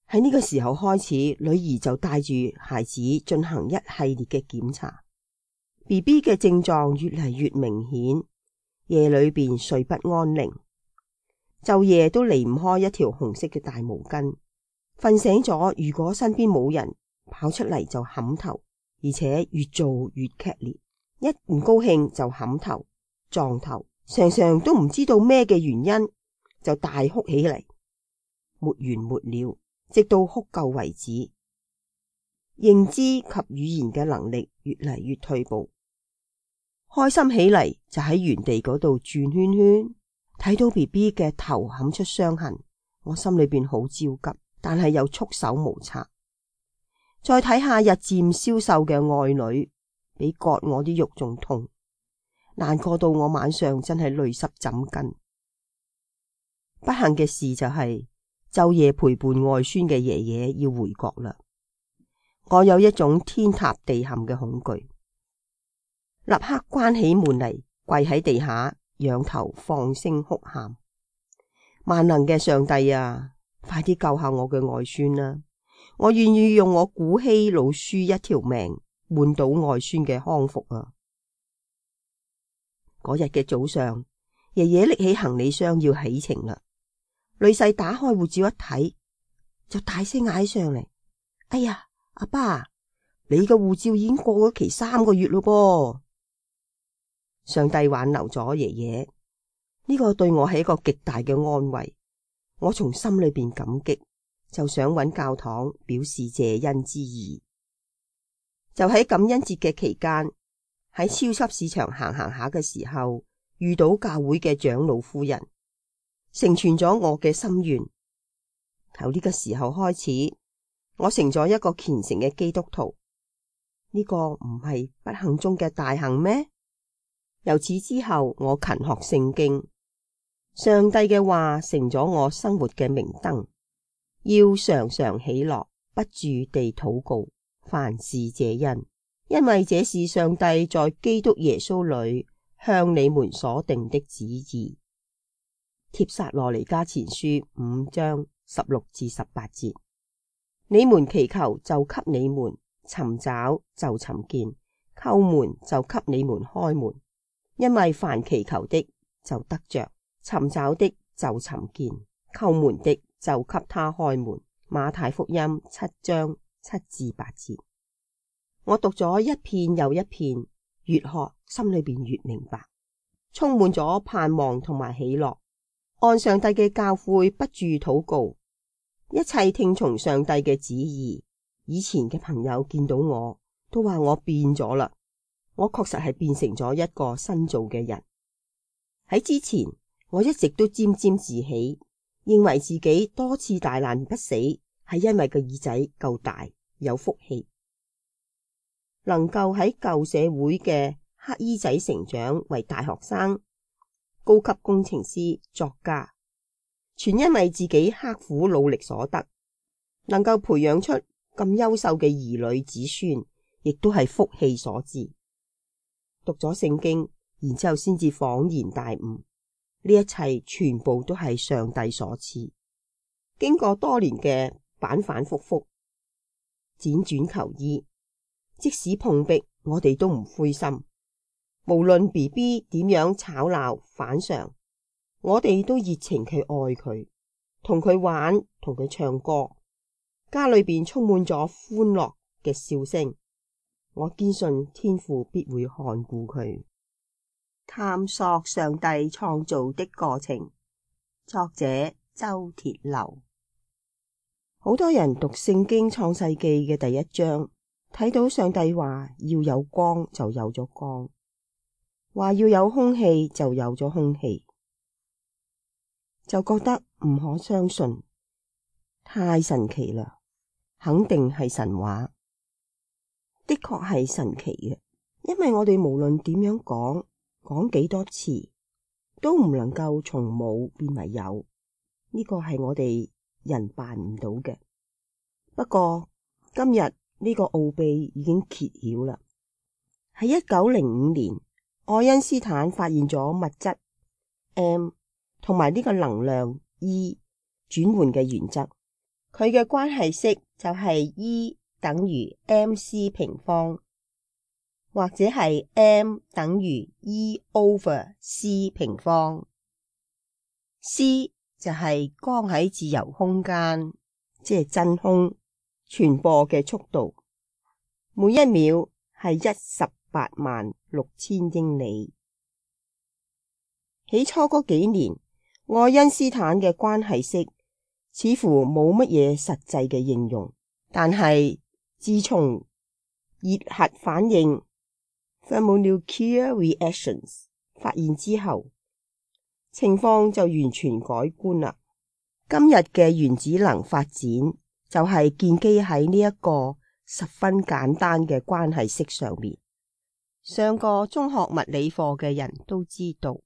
喺呢個時候開始，女兒就帶住孩子進行一系列嘅檢查。BB 嘅症狀越嚟越明顯，夜裏邊睡不安寧，晝夜都離唔開一條紅色嘅大毛巾。瞓醒咗，如果身邊冇人，跑出嚟就冚頭，而且越做越劇烈，一唔高興就冚頭撞頭，常常都唔知道咩嘅原因就大哭起嚟，沒完沒了，直到哭夠為止。認知及語言嘅能力越嚟越退步，開心起嚟就喺原地嗰度轉圈圈。睇到 BB 嘅頭冚出傷痕，我心裏邊好焦急，但係又束手無策。再睇下日漸消瘦嘅愛女，比割我啲肉仲痛，難過到我晚上真係淚濕枕巾。不幸嘅事就係晝夜陪伴外孫嘅爺爺要回國啦。我有一種天塌地陷嘅恐懼，立刻關起門嚟，跪喺地下，仰頭放聲哭喊：萬能嘅上帝啊，快啲救下我嘅外孫啦！我願意用我古稀老孫一條命換到外孫嘅康復啊！嗰日嘅早上，爺爺拎起行李箱要起程啦。女婿打開護照一睇，就大聲嗌上嚟：哎呀，阿爸，你嘅護照已經過咗期3個月咯噃！上帝挽留咗爺爺，呢個對我係一個極大嘅安慰。我從心裏邊感激，就想揾教堂表示謝恩之意。就喺感恩節嘅期間，喺超級市場行下嘅時候，遇到教會嘅長老夫人，成全咗我嘅心願。由呢個時候開始，我成咗一個虔誠嘅基督徒。呢個唔係不幸中嘅大幸咩？由此之後，我勤學聖經，上帝嘅話成咗我生活嘅明燈。要常常喜樂，不住地禱告，凡事謝恩，因為這是上帝在基督耶穌裏向你們所定的旨意。帖撒羅尼迦前書5章16至18節。你們祈求就給你們，尋找就尋見，叩門就給你們開門。因為凡祈求的就得着，尋找的就尋見，叩門的就給他開門。馬太福音7章7至8節。我讀咗一遍又一遍，越學心裏邊越明白，充滿咗盼望同埋喜樂。按上帝嘅教誨不住禱告，一切聽從上帝嘅旨意。以前嘅朋友見到我都話我變咗啦，我確實係變成咗一個新造嘅人。喺之前我一直都沾沾自喜，認為自己多次大難不死係因為個耳仔夠大，有福氣，能夠喺舊社會嘅黑衣仔成長為大學生、高級工程師、作家，全因為自己刻苦努力所得。能夠培養出咁優秀嘅兒女子孫，亦都係福氣所致。讀咗聖經，然之後先至恍然大悟，呢一切全部都係上帝所賜。經過多年嘅反反复复、輾轉求醫，即使碰壁，我哋都唔灰心。無論 BB 點樣吵鬧反常，我哋都熱情去愛佢，同佢玩，同佢唱歌。家裏邊充滿咗歡樂嘅笑聲。我堅信天父必會看顧佢。探索上帝創造的過程，作者周鐵流。好多人讀聖經創世記嘅第一章，睇到上帝話要有光就有咗光，話要有空氣就有咗空氣，就覺得唔可相信，太神奇啦！肯定係神話，的確係神奇嘅，因為我哋無論點樣講幾多次，都唔能夠從冇變為有，呢個係我哋人辦唔到嘅。不過今日呢個奧秘已經揭曉啦。喺1905年，愛因斯坦發現咗物質 M 同埋呢個能量 E 轉換嘅原則。佢嘅關係式就係 E 等於 mc 平方，或者係 M 等於 E over c 平方。c 就係光喺自由空間，即係真空傳播嘅速度，每一秒係186,000英里。起初嗰幾年，愛因斯坦嘅關係式似乎冇乜嘢實際嘅應用，但係自從熱核反應 thermonuclear reactions 發現之後，情況就完全改觀啦。今日嘅原子能發展就係建基喺呢一個十分簡單嘅關係式上面。上過中學物理課嘅人都知道，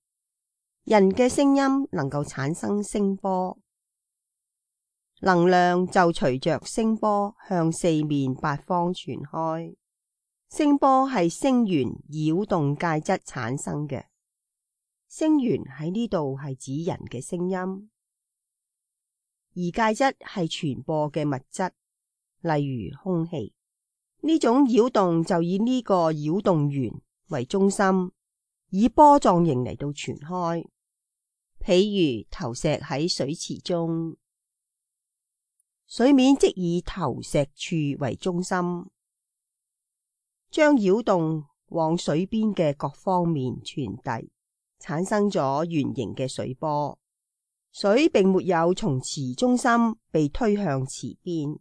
人嘅聲音能夠產生聲波，能量就隨着聲波向四面八方傳開。聲波係聲源擾動介質產生嘅，聲源喺呢度係指人嘅聲音，而介質係傳播嘅物質，例如空氣。呢種擾動就以呢個擾動源為中心，以波狀形嚟到傳開。譬如投石喺水池中，水面即以投石處為中心，將擾動往水邊嘅各方面傳遞，產生咗圓形嘅水波。水並沒有從池中心被推向池邊，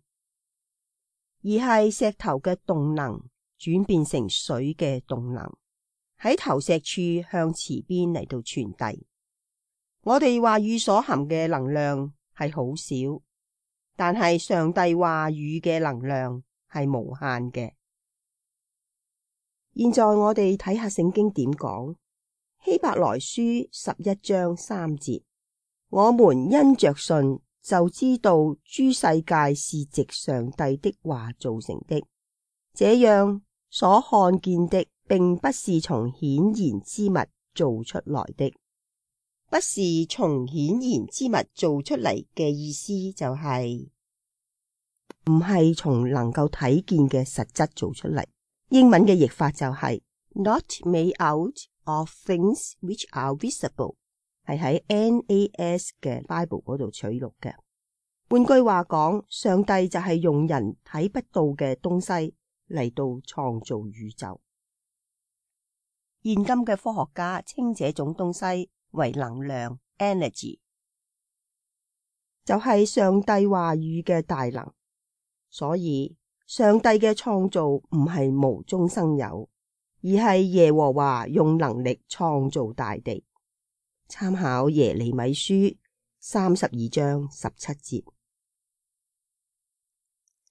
而係石頭嘅動能轉變成水嘅動能，喺投石處向池邊嚟到傳遞。我哋話語所含嘅能量係好少，但係上帝話語嘅能量係無限嘅。現在我哋睇下聖經點講，希伯來書11章3節，我們因着信就知道諸世界是藉上帝的話造成的，這樣所看見的並不是從顯然之物做出來的。不是從顯然之物做出嚟嘅意思就係唔係從能夠睇見嘅實質做出嚟。英文嘅譯法就係 not made out of things which are visible， 係喺 NAS 嘅 Bible 嗰度取錄嘅。換句話講，上帝就係用人睇不到嘅東西嚟到創造宇宙。現今嘅科學家稱這種東西為能量 energy，就係上帝話語嘅大能。所以上帝嘅創造唔係無中生有，而係耶和華用能力創造大地。參考耶利米書32章17節。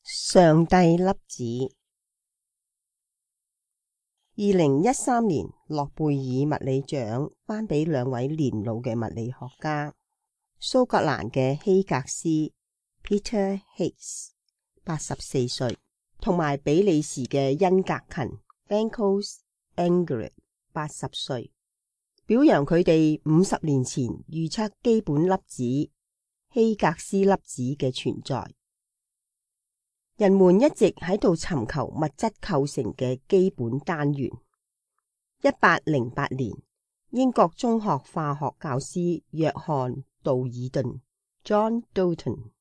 上帝粒子。2013年諾貝爾物理獎頒俾兩位年老嘅物理學家，蘇格蘭嘅希格斯 Peter Higgs 84歲，同埋比利時嘅恩格勤 Benkos Ingrid 80歲，表揚佢哋50年前預測基本粒子希格斯粒子嘅存在。人們一直喺度尋求物質構成嘅基本單元。1808年，英國中學化學教師約翰道爾頓 John Dalton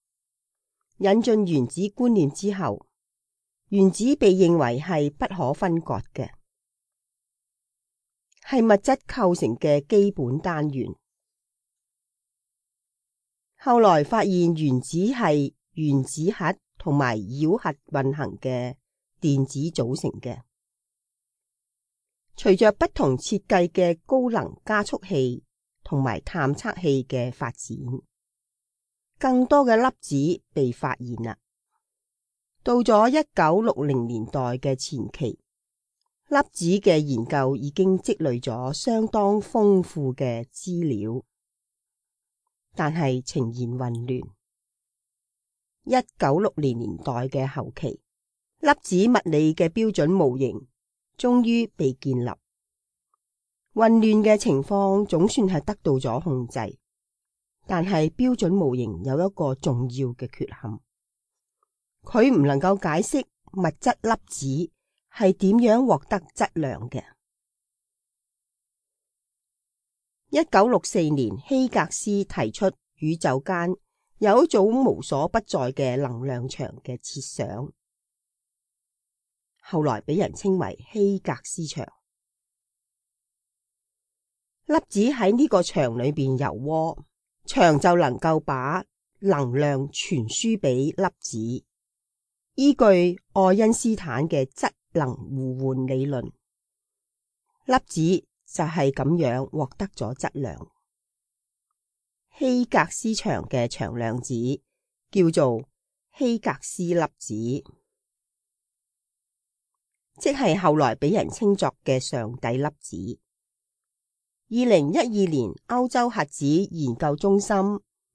引進原子觀念之後，原子被認為係不可分割嘅，係物質構成嘅基本單元。後來發現原子係原子核同埋繞核運行嘅電子組成嘅。隨着不同設計嘅高能加速器同埋探測器嘅發展，更多嘅粒子被發現啦。到咗1960年代嘅前期，粒子嘅研究已經積累咗相當豐富嘅資料，但係呈現混亂。1960年代嘅後期，粒子物理嘅標準模型終於被建立，混亂嘅情況總算係得到咗控制。但係標準模型有一個重要嘅缺陷，佢唔能夠解釋物質粒子係點樣獲得質量嘅。1964年，希格斯提出宇宙間有一種無所不在嘅能量場嘅設想，後來俾人稱為希格斯場。粒子喺呢個場裏邊游渦，場就能夠把能量傳輸俾粒子。依據愛因斯坦嘅質能互換理論，粒子就係咁樣獲得咗質量。希格斯場嘅場量子叫做希格斯粒子，即係後來俾人稱作嘅上帝粒子。2012年，歐洲核子研究中心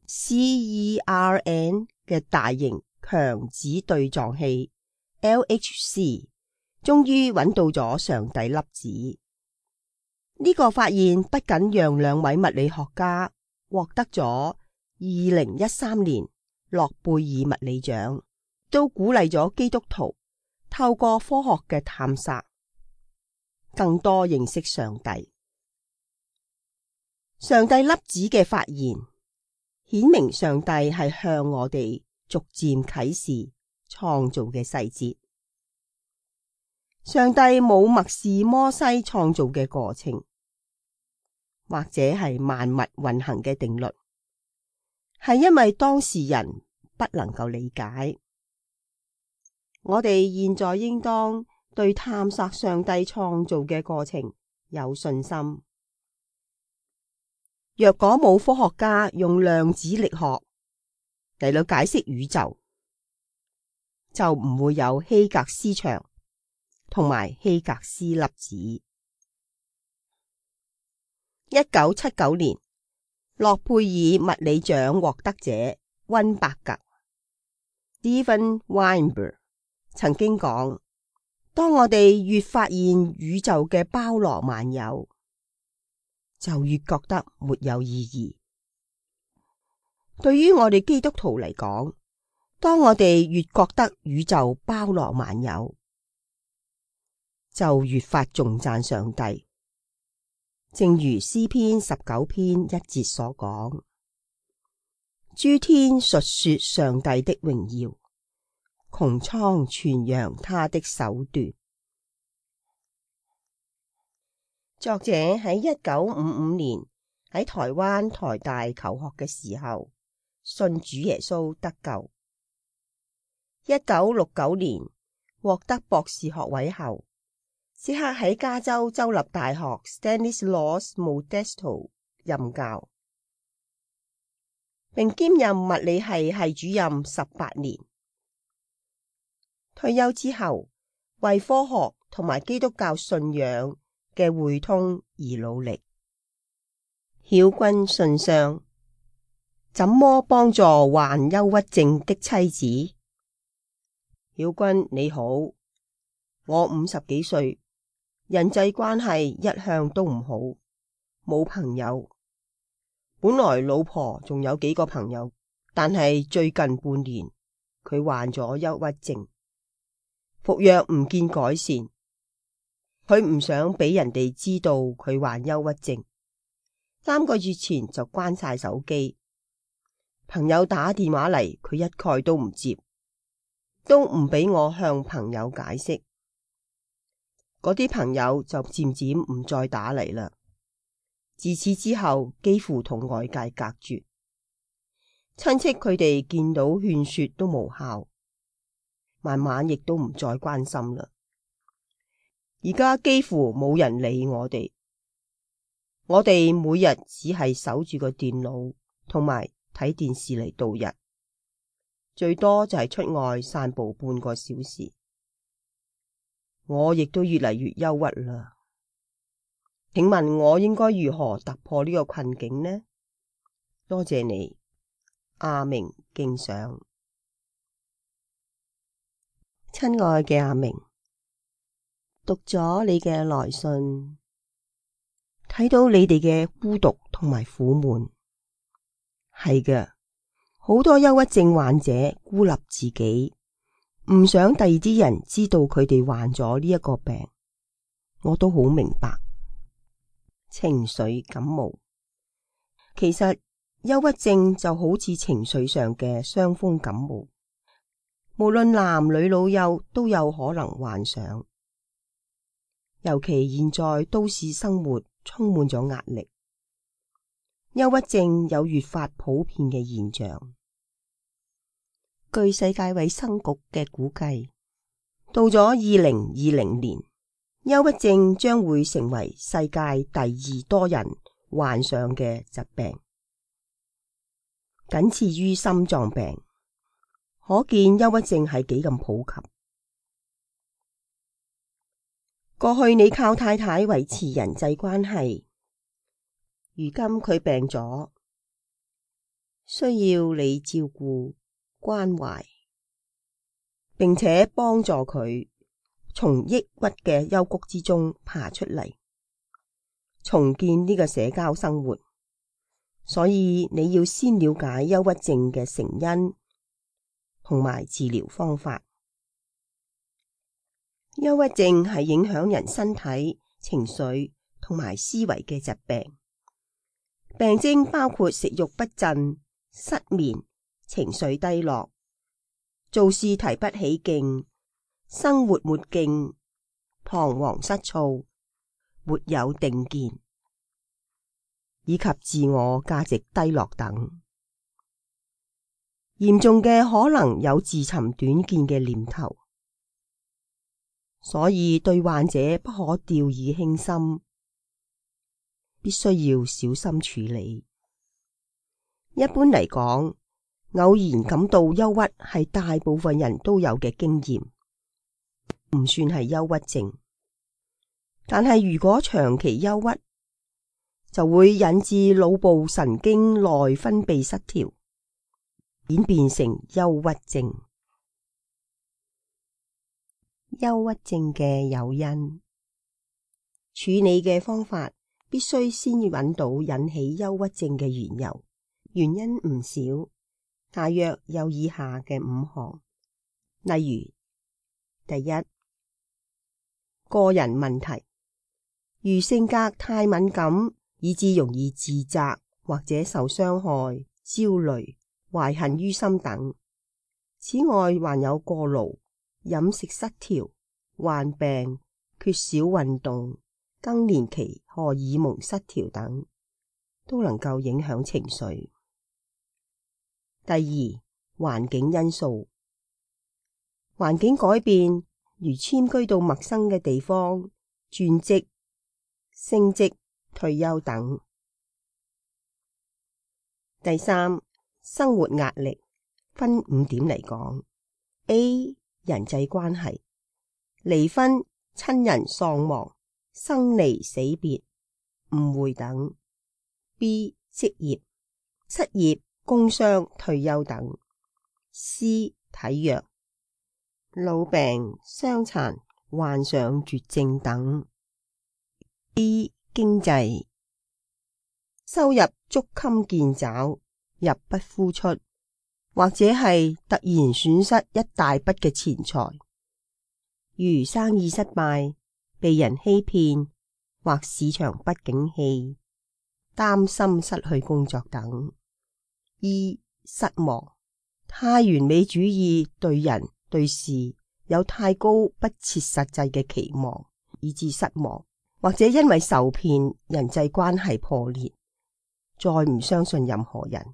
CERN 嘅大型強子對撞器 LHC 終於揾到咗上帝粒子。呢個發現不僅讓兩位物理學家獲得咗2013年諾貝爾物理獎，都鼓勵咗基督徒透過科學嘅探索，更多認識上帝。上帝粒子嘅發現，顯明上帝係向我哋逐漸啟示創造嘅細節。上帝冇默示摩西創造嘅過程，或者係萬物運行嘅定律，係因為當時人不能夠理解。我哋現在應當對探索上帝創造嘅過程有信心。若果冇科學家用量子力學嚟到解釋宇宙，就唔會有希格斯場同埋希格斯粒子。1979年，諾貝爾物理獎獲得者溫伯格 Steven Weinberg 曾經講：當我哋越發現宇宙嘅包羅萬有，就越覺得沒有意義。對於我哋基督徒嚟講，當我哋越覺得宇宙包羅萬有，就越發頌讚上帝。正如詩篇19篇1節所講：諸天述說上帝的榮耀，穹蒼傳揚他的手段。作者喺1955年喺台灣台大求學嘅時候，信主耶穌得救。1969年獲得博士學位後，即刻喺加州州立大學 Stanislaus Modesto 任教，並兼任物理系系主任18年。退休之後，為科學同埋基督教信仰嘅匯通而努力。曉君信箱：怎麼幫助患憂鬱症的妻子？曉君你好，我50幾歲，人際關係一向都唔好，冇朋友。本來老婆仲有幾個朋友，但係最近半年佢患咗憂鬱症。服藥唔見改善，佢唔想俾人哋知道佢患憂鬱症。3個月前就關晒手機，朋友打電話嚟，佢一概都唔接，都唔俾我向朋友解釋。嗰啲朋友就漸漸唔再打嚟啦。自此之後，幾乎同外界隔絕，親戚佢哋見到勸說都無效。慢慢亦都唔再關心啦。而家幾乎冇人理我哋，我哋每日只係守住個電腦同埋睇電視嚟度日，最多就係出外散步半個小時。我亦都越嚟越憂鬱啦。請問我應該如何突破呢個困境呢？多謝你，阿明敬上。親愛嘅阿明，讀咗你嘅來信，睇到你哋嘅孤獨同埋苦悶，係嘅，好多憂鬱症患者孤立自己，唔想第二啲人知道佢哋患咗呢一個病，我都好明白。情緒感冒，其實憂鬱症就好似情緒上嘅傷風感冒。無論男女老幼都有可能患上，尤其現在都市生活充滿咗壓力，憂鬱症有越發普遍嘅現象。據世界衛生局嘅估計，到咗2020年，憂鬱症將會成為世界第2多人患上嘅疾病，僅次於心臟病。可見憂鬱症係幾咁普及。過去你靠太太維持人際關係，如今佢病咗，需要你照顧關懷，並且幫助佢從抑鬱嘅幽谷之中爬出嚟，重建呢個社交生活。所以你要先了解憂鬱症嘅成因同埋治療方法。憂鬱症係影響人身體、情緒同埋思維嘅疾病。病徵包括食慾不振、失眠、情緒低落、做事提不起勁、生活沒勁、彷徨失措、沒有定見，以及自我價值低落等。嚴重嘅可能有自尋短見嘅念頭，所以對患者不可掉以輕心，必須要小心處理。一般嚟講，偶然感到憂鬱係大部分人都有嘅經驗，唔算係憂鬱症。但係如果長期憂鬱，就會引致腦部神經內分泌失調，演變成憂鬱症。憂鬱症嘅誘因，處理嘅方法必須先揾到引起憂鬱症嘅緣由。原因唔少，大約有以下嘅5項。例如，第一，個人問題，如性格太敏感，以致容易自責或者受傷害、焦慮、懷恨於心等。此外，還有過勞、飲食失調、患病、缺少運動、更年期荷爾蒙失調等，都能夠影響情緒。第二，環境因素。環境改變，如遷居到陌生嘅地方、轉職、升職、退休等。第三，生活壓力，分5點嚟講。A. 人際關係，離婚、親人喪亡、生離死別、誤會等。B. 職業，失業、工傷、退休等。C. 體弱，老病、傷殘、患上絕症等。D. 經濟，收入捉襟見肘，入不敷出，或者係突然損失一大筆嘅錢財，如生意失敗、被人欺騙，或市場不景氣，擔心失去工作等。E. 失望，太完美主義，對人對事有太高不切實際嘅期望，以致失望，或者因為受騙，人際關係破裂，再唔相信任何人。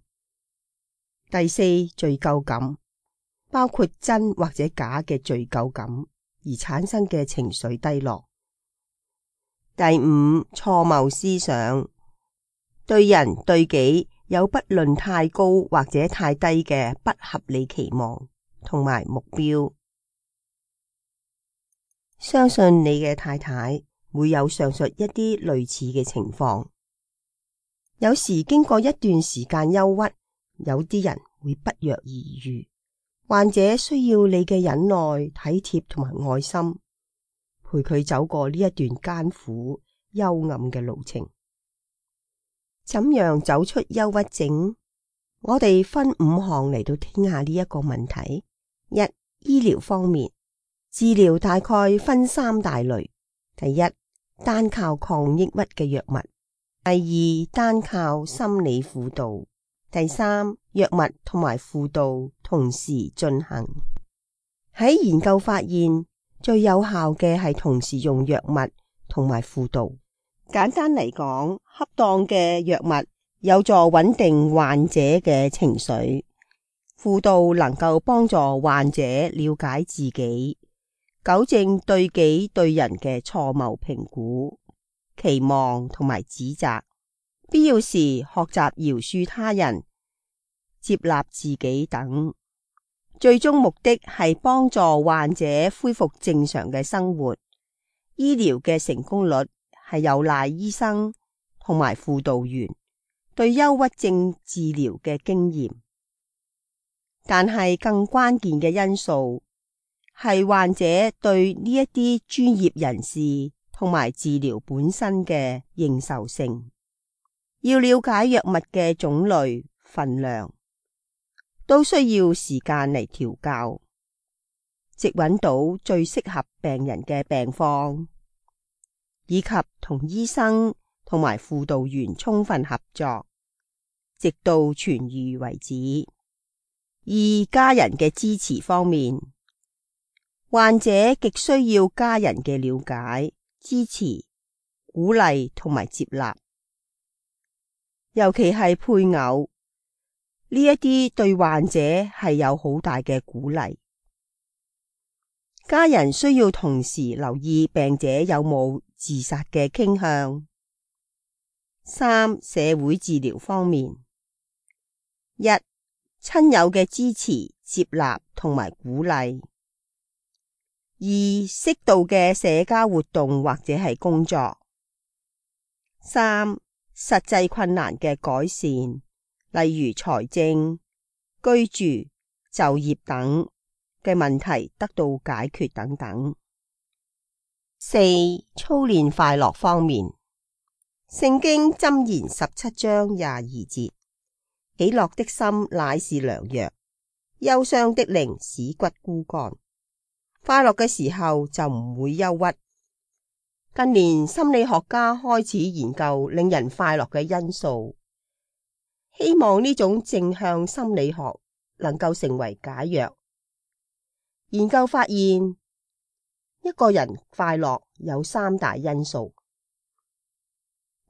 第四，罪疚感，包括真或者假嘅罪疚感而產生嘅情緒低落。第五，錯謬思想，對人對己有不論太高或者太低嘅不合理期望同埋目標。相信你嘅太太會有上述一啲類似嘅情況。有時經過一段時間憂鬱，有啲人會不藥而癒。患者需要你嘅忍耐、體貼同埋愛心，陪佢走過呢一段艱苦、幽暗嘅路程。怎樣走出憂鬱症？我哋分5項嚟到聽下呢一個問題。一、醫療方面，治療大概分3大類。第一，單靠抗抑鬱嘅藥物；第二，單靠心理輔導；第三，藥物同埋輔導同時進行。喺研究發現，最有效嘅係同時用藥物同埋輔導。簡單嚟講，恰當嘅藥物有助穩定患者嘅情緒，輔導能夠幫助患者了解自己，糾正對己對人嘅錯誤評估、期望同埋指責，必要時學習饒恕他人、接納自己等。最終目的係幫助患者恢復正常嘅生活。醫療嘅成功率係有賴醫生同埋輔導員對憂鬱症治療嘅經驗，但係更關鍵嘅因素係患者對呢一啲專業人士同埋治療本身嘅認受性。要了解藥物嘅種類、份量，都需要時間嚟調教，直揾到最適合病人嘅病況，以及同醫生同埋輔導員充分合作，直到痊癒為止。而家人嘅支持方面，患者極需要家人嘅了解、支持、鼓勵同埋接納，尤其係配偶，呢一啲對患者係有好大嘅鼓勵。家人需要同時留意病者有冇自殺嘅傾向。3、社會治療方面，一、親友嘅支持、接納同埋鼓勵；二、適度嘅社交活動或者係工作；三、實際困難嘅改善，例如財政、居住、就業等嘅問題得到解決等等。4、操練快樂方面，聖經箴言17章22節，喜樂的心乃是良藥，憂傷的靈使骨枯乾。快樂嘅時候就唔會憂鬱。近年心理學家開始研究令人快樂嘅因素，希望呢種正向心理學能夠成為解藥。研究發現，一個人快樂有3大因素。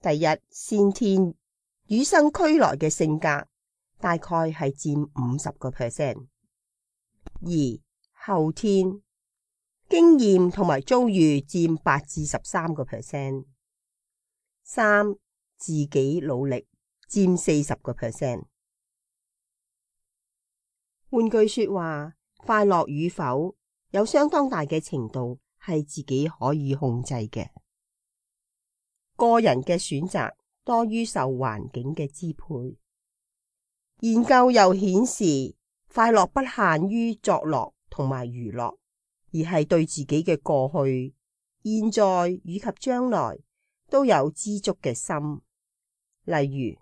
第一，先天與生俱來嘅性格，大概係佔50%。2. 後天經驗同埋遭遇佔8至13%。3. 自己努力佔40%。換句說話，快樂與否有相當大嘅程度係自己可以控制嘅。個人嘅選擇多於受環境嘅支配。研究又顯示，快樂不限於作樂同埋娛樂，而係對自己嘅過去、現在以及將來都有知足嘅心。例如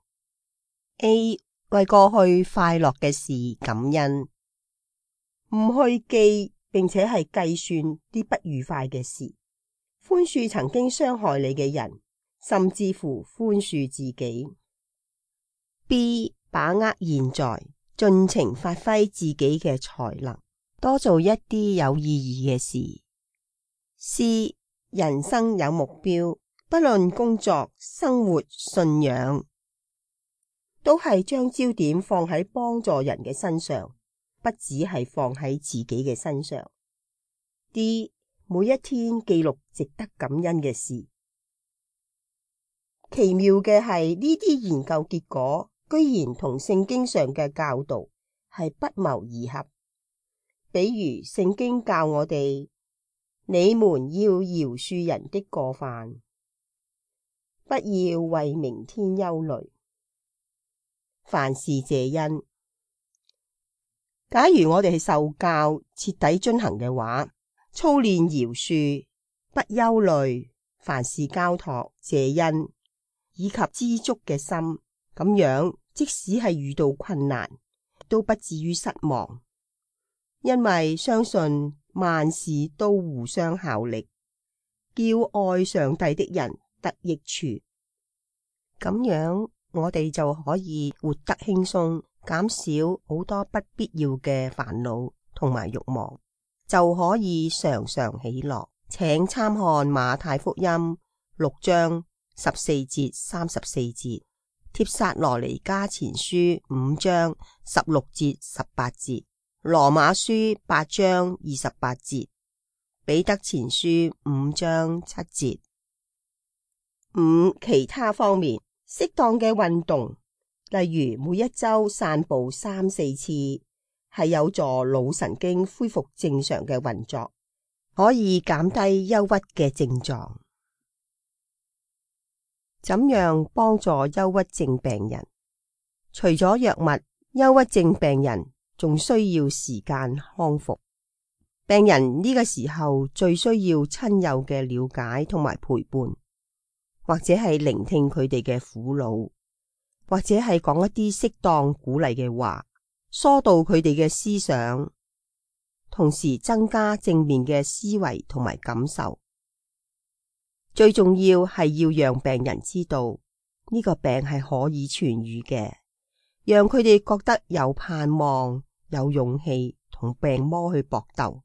A 為過去快樂嘅事感恩，唔去記並且係計算啲不愉快嘅事，寬恕曾經傷害你嘅人，甚至乎寬恕自己。B 把握現在，盡情發揮自己嘅才能，多做一啲有意義嘅事。C 人生有目標，不論工作、生活、信仰，都係將焦點放喺幫助人嘅身上，不只係放喺自己嘅身上。D 每一天記錄值得感恩嘅事。奇妙嘅係呢啲研究結果居然同聖經上嘅教導係不謀而合。比如聖經教我哋，你們要饒恕人的過犯，不要為明天憂慮，凡事謝恩。假如我哋係受教徹底遵行嘅話，操練饒恕、不憂慮、凡事交託、謝恩以及知足嘅心，咁樣即使係遇到困難，都不至於失望，因為相信萬事都互相效力，叫愛上帝的人得益處。咁樣我哋就可以活得輕鬆，減少好多不必要嘅煩惱同埋慾望，就可以常常喜樂。請參看馬太福音6章14節34節，帖撒羅尼迦前書5章16節18節，羅馬書8章28節，彼得前書5章7節。5. 其他方面，適當嘅運動，例如每一周散步3-4次，係有助腦神經恢復正常嘅運作，可以減低憂鬱嘅症狀。怎樣幫助憂鬱症病人？除咗藥物，憂鬱症病人仲需要時間康復。病人呢個時候最需要親友嘅了解同埋陪伴，或者係聆聽佢哋嘅苦惱，或者係講一啲適當鼓勵嘅話，疏導佢哋嘅思想，同時增加正面嘅思維同埋感受。最重要係要讓病人知道呢個病係可以痊愈嘅，讓佢哋覺得有盼望、有勇氣同病魔去搏鬥。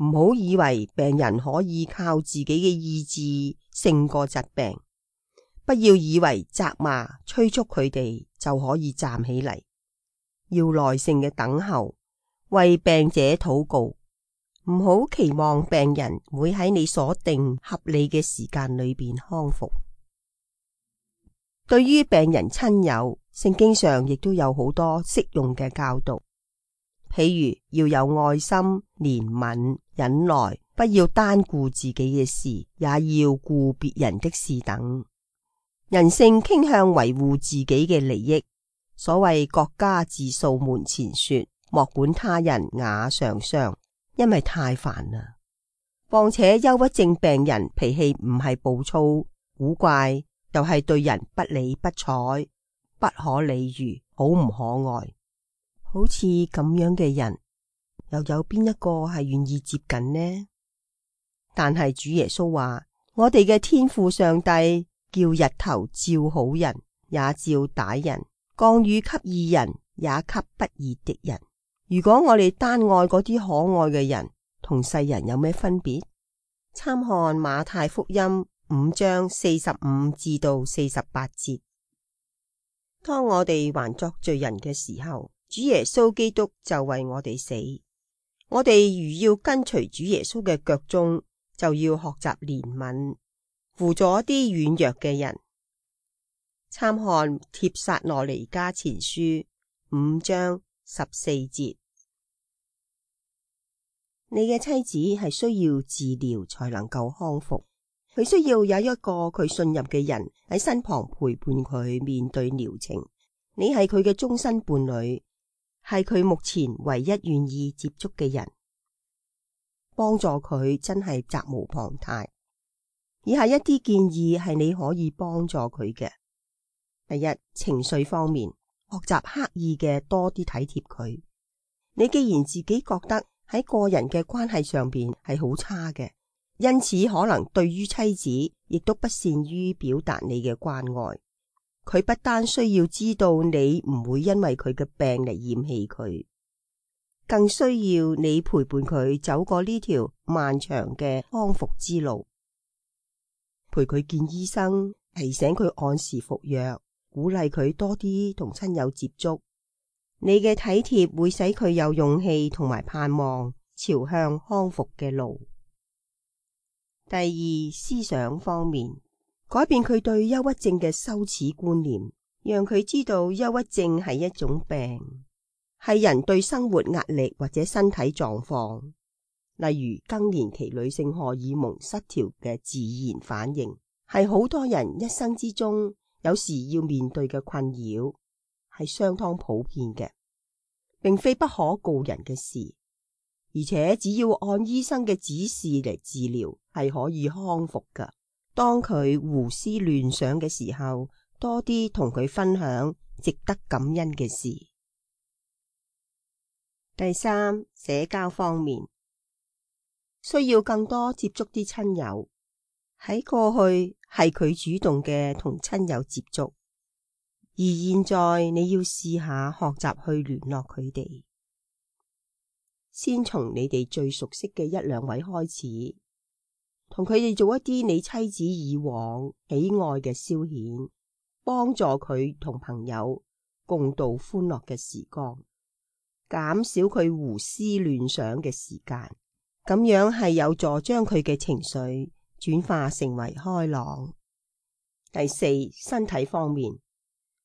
唔好以為病人可以靠自己嘅意志勝過疾病，不要以為責罵、催促佢哋就可以站起嚟。要耐性嘅等候，為病者禱告。唔好期望病人會喺你所定合理嘅時間裏邊康復。對於病人親友，聖經上亦都有好多適用嘅教導，譬如要有愛心、憐憫、忍耐，不要單顧自己嘅事，也要顧別人的事等。人性傾向維護自己嘅利益，所謂國家自掃門前雪，莫管他人瓦上霜。因為太煩啦，況且憂鬱症病人脾氣唔係暴躁古怪，又係對人不理不睬，不可理喻，好唔可愛。好似咁樣嘅人，又有邊一個係願意接近呢？但係主耶穌話，我哋嘅天父上帝叫日頭照好人，也照歹人；降雨給義人，也給不義的人。如果我哋單愛嗰啲可愛嘅人，同世人有咩分別？參看馬太福音5章45至到48節。當我哋還作罪人嘅時候，主耶穌基督就為我哋死。我哋如要跟隨主耶穌嘅腳蹤，就要學習憐憫，扶助一啲軟弱嘅人。參看帖撒羅尼迦前書5章14節。你嘅妻子係需要治療才能夠康復，佢需要有一個佢信任嘅人喺身旁陪伴佢面對療程。你係佢嘅終身伴侶，係佢目前唯一願意接觸嘅人，幫助佢真係責無旁貸。以下一啲建議係你可以幫助佢嘅。第一，情緒方面，學習刻意嘅多啲體貼佢。你既然自己覺得喺個人嘅關係上邊係好差嘅，因此可能對於妻子亦都不善於表達你嘅關愛。佢不單需要知道你唔會因為佢嘅病嚟嫌棄佢，更需要你陪伴佢走過呢條漫長嘅康復之路，陪佢見醫生，提醒佢按時服藥，鼓勵佢多啲同親友接觸。你嘅體貼會使佢有勇氣同埋盼望朝向康復嘅路。第二，思想方面，改變佢對憂鬱症嘅羞恥觀念，讓佢知道憂鬱症係一種病，係人對生活壓力或者身體狀況，例如更年期女性荷爾蒙失調嘅自然反應，係好多人一生之中有時要面對嘅困擾，係相當普遍嘅，並非不可告人嘅事，而且只要按醫生嘅指示嚟治療，係可以康復㗎。當佢胡思亂想嘅時候，多啲同佢分享值得感恩嘅事。第三，社交方面，需要更多接觸啲親友。喺過去係佢主動嘅同親友接觸，而現在你要試下學習去聯絡佢哋。先從你哋最熟悉嘅1、2位開始，同佢哋做一啲你妻子以往喜愛嘅消遣，幫助佢同朋友共度歡樂嘅時光，減少佢胡思亂想嘅時間。咁樣係有助將佢嘅情緒轉化成為開朗。第四，身體方面，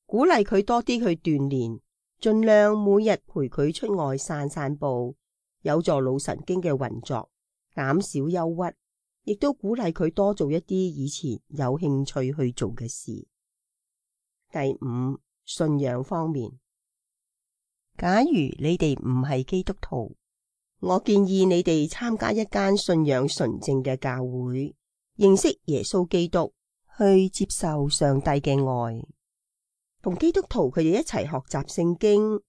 鼓勵佢多啲去鍛煉，盡量每日陪佢出外散散步，有助腦神經嘅運作，減少憂鬱，亦都鼓勵佢多做一啲以前有興趣去做嘅事。第五，信仰方面，假如你哋唔係基督徒，我建議你哋參加一間信仰純正嘅教會，認識耶穌基督，去接受上帝嘅愛，同基督徒佢哋一齊學習聖經、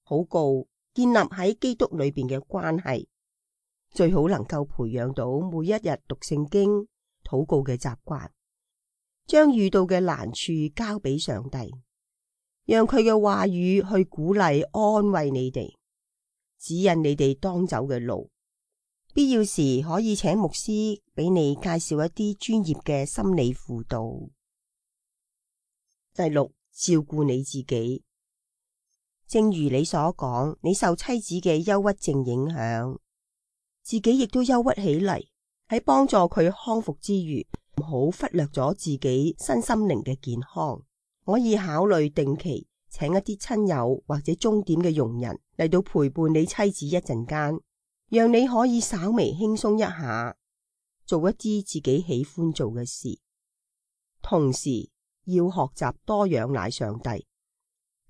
禱告，建立喺基督裏邊嘅關係，最好能夠培養到每一日讀聖經、禱告嘅習慣，將遇到嘅難處交俾上帝，讓佢嘅話語去鼓勵、安慰你哋，指引你哋當走嘅路。必要時可以請牧師俾你介紹一啲專業嘅心理輔導。第六，照顧你自己。正如你所講，你受妻子嘅憂鬱症影響，自己亦都憂鬱起嚟。喺幫助佢康復之餘，唔好忽略咗自己身心靈嘅健康。可以考慮定期請一啲親友或者鐘點嘅傭人嚟到陪伴你妻子一陣間，讓你可以稍微輕鬆一下，做一啲自己喜歡做嘅事。同時要學習多仰賴上帝，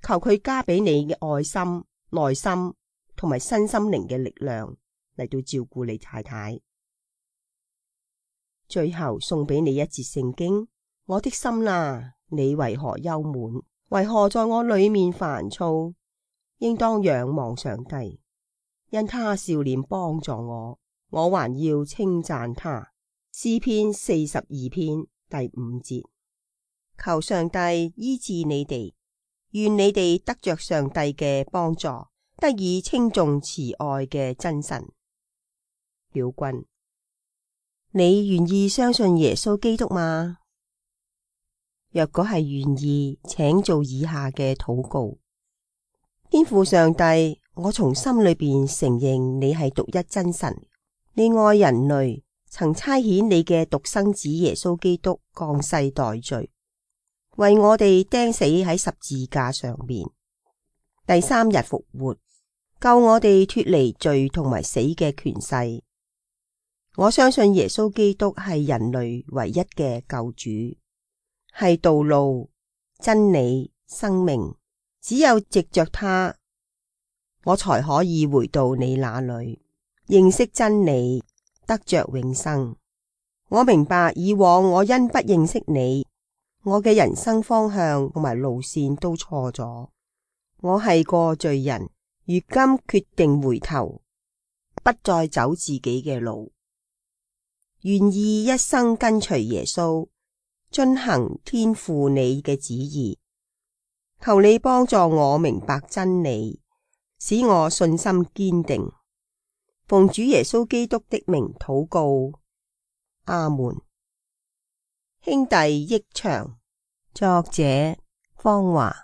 求佢加俾你嘅愛心、耐心同埋身心靈嘅力量嚟到照顧你太太。最後送俾你一節聖經：我的心啊，你為何憂悶？為何在我裏面煩躁？應當仰望上帝，因他笑臉幫助我，我還要稱讚他。詩篇42篇第5節。求上帝醫治你哋，願你哋得着上帝嘅幫助，得以稱頌慈愛嘅真神。表君，你願意相信耶穌基督嗎？若果係願意，請做以下嘅禱告：天父上帝，我從心裏邊承認你係獨一真神，你愛人類，曾差遣你嘅獨生子耶穌基督降世代罪，為我哋釘死喺十字架上面，第3日復活，救我哋脫離罪同埋死嘅權勢。我相信耶穌基督係人類唯一嘅救主，係道路、真理、生命，只有藉着他，我才可以回到你那裏，認識真理，得着永生。我明白以往我因不認識你，我嘅人生方向同埋路線都錯咗。我係個罪人，如今決定回頭，不再走自己嘅路，願意一生跟隨耶穌，遵行天父你嘅旨意。求你幫助我明白真理，使我信心堅定。奉主耶穌基督的名禱告，阿門。兄弟益祥，作者方華。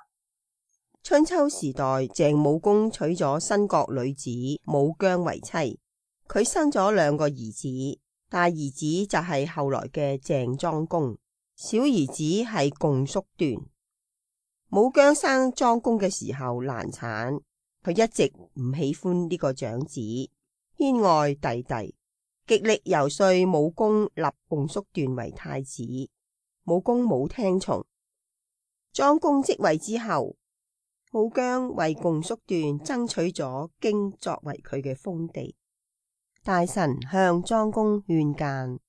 春秋時代，鄭武公娶咗新國女子武姜為妻，佢生咗2個兒子，大兒子就係後來嘅鄭莊公，小兒子係共叔段。武姜生莊公嘅時候難產，佢一直唔喜歡呢個長子，偏愛弟弟，極力遊說武公立共叔段為太子。武公冇聽從。莊公即位之後，武姜為共叔段爭取咗荊作為佢嘅封地。大臣向莊公勸諫，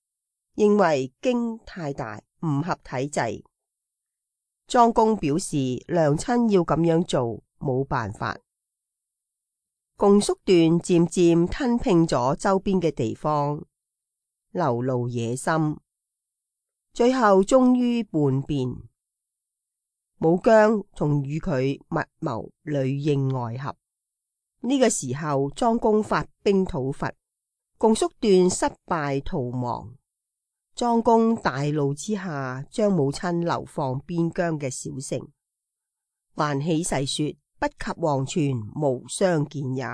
認為荊太大，唔合體制。莊公表示娘親要咁樣做，冇辦法。共叔段漸漸吞併咗周邊嘅地方，流露野心，最後終於叛變。武姜仲與佢密謀裏應外合。呢個時候，莊公發兵討伐，共叔段失敗逃亡。莊公大怒之下，將母親流放邊疆嘅小城，還起誓說不及黃泉無相見也。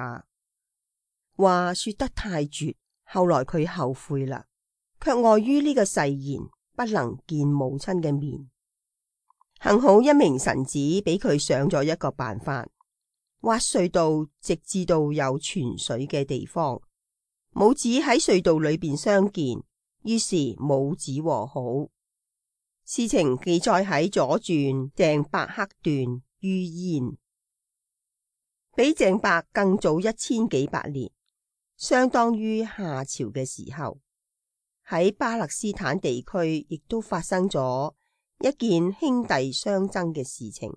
話說得太絕，後來佢後悔啦，卻礙於呢個誓言，不能見母親嘅面。幸好一名臣子俾佢想咗一個辦法，挖隧道直至到有泉水嘅地方，母子喺隧道裏邊相見，於是母子和好。事情記載喺左傳鄭伯克段于鄢，比鄭伯更早1000幾百年，相當於夏朝嘅時候。喺巴勒斯坦地區亦都發生咗一件兄弟相爭嘅事情。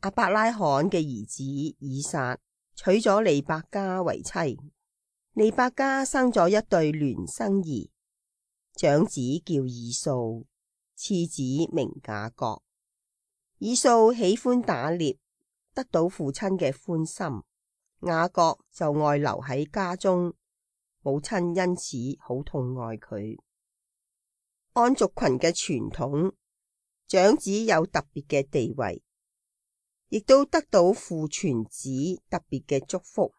亞伯拉罕嘅兒子以撒娶咗利百加為妻，利百加生咗一對孌生兒，長子叫以掃，次子名雅各。以掃喜歡打獵，得到父親嘅歡心，雅各就愛留喺家中，母親因此好痛愛佢。按族群嘅傳統，長子有特別嘅地位，亦都得到父傳子特別嘅祝福。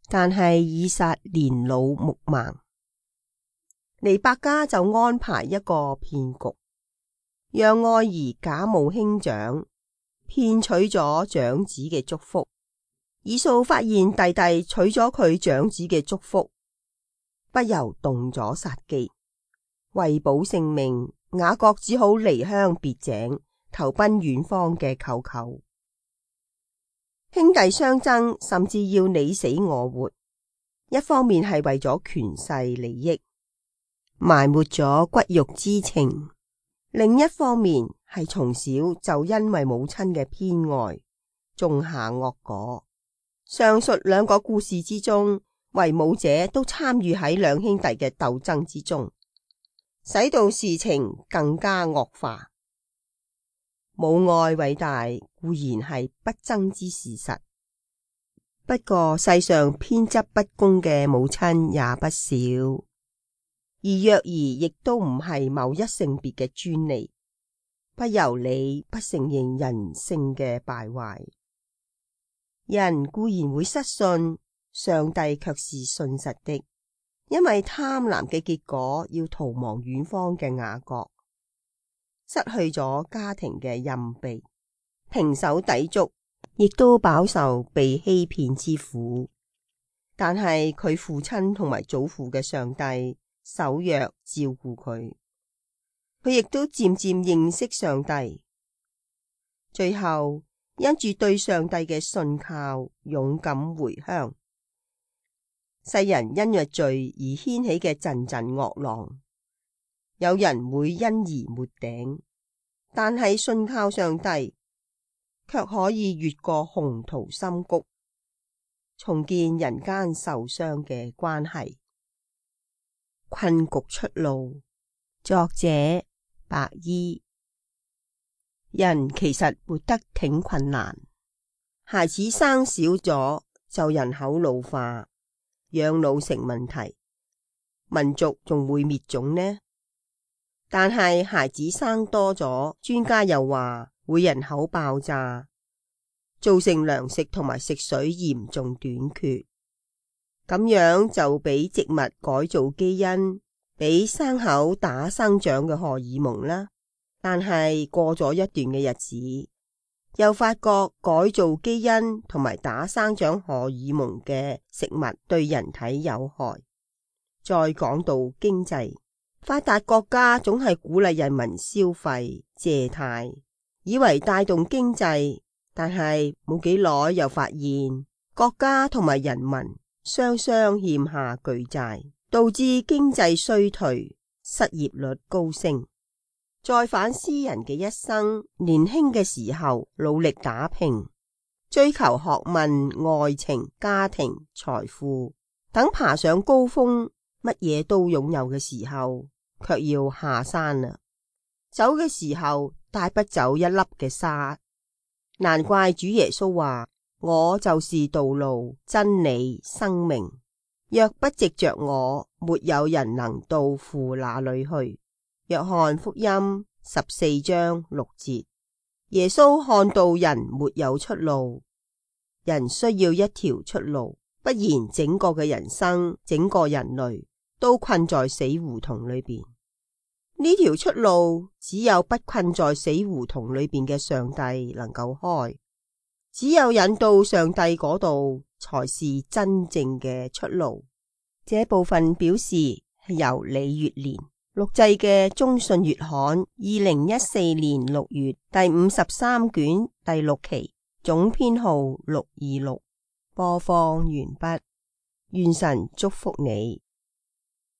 但係以撒年老目盲，利百加就安排一個騙局，讓愛兒假冒兄長，騙取咗長子嘅祝福。以掃發現弟弟取咗佢長子嘅祝福，不由動咗殺機。為保性命，雅各只好離鄉別井，投奔遠方嘅舅舅。兄弟相爭，甚至要你死我活，一方面係為咗權勢利益，埋沒咗骨肉之情；另一方面係從小就因為母親嘅偏愛，種下惡果。上述2個故事之中，為母者都參與喺兩兄弟嘅鬥爭之中，使到事情更加惡化。母愛偉大固然係不爭之事實，不過世上偏執不公嘅母親也不少，而虐兒亦都唔係某一性別嘅專利。不由你不承認人性嘅敗壞。人固然會失信，上帝卻是信實的，因為貪婪嘅結果要逃亡遠方嘅雅各，失去咗家庭嘅蔭庇，胼手胝足，亦都飽受被欺騙之苦。但係佢父親同埋祖父嘅上帝守約照顧佢，佢亦都漸漸認識上帝，最後因住對上帝嘅信靠，勇敢回鄉。世人因着罪而掀起嘅陣陣惡浪，有人會因而沒頂，但係信靠上帝，卻可以越過洪濤深谷，重建人間受傷嘅關係。困局出路，作者白衣。人其實活得挺困難，孩子生少咗就人口老化，養老成問題，民族仲會滅種呢？但係孩子生多咗，專家又話會人口爆炸，造成糧食同埋食水嚴重短缺。咁樣就俾植物改造基因，俾牲口打生長嘅荷爾蒙啦。但係過咗一段嘅日子，又發覺改造基因同埋打生長荷爾蒙嘅食物對人體有害。再講到經濟，發達國家總係鼓勵人民消費借貸，以為帶動經濟，但係冇幾耐又發現國家同埋人民雙雙欠下巨債，導致經濟衰退，失業率高升。再反思人嘅一生，年輕嘅時候努力打拼，追求學問、愛情、家庭、財富，等爬上高峰，乜嘢都擁有嘅時候，卻要下山啦。走嘅時候帶不走一粒嘅沙，難怪主耶穌話：我就是道路、真理、生命，若不藉着我，沒有人能到父那裏去。約翰福音14章6節。耶穌看到人沒有出路，人需要一條出路，不然整個嘅人生，整個人類都困在死胡同裏邊。呢條出路只有不困在死胡同裏邊嘅上帝能夠開，只有引到上帝嗰度才是真正嘅出路。這部分表示係由李月蓮錄製嘅中信月刊2014年6月第53卷第6期，總編號626。播放完畢，願神祝福你。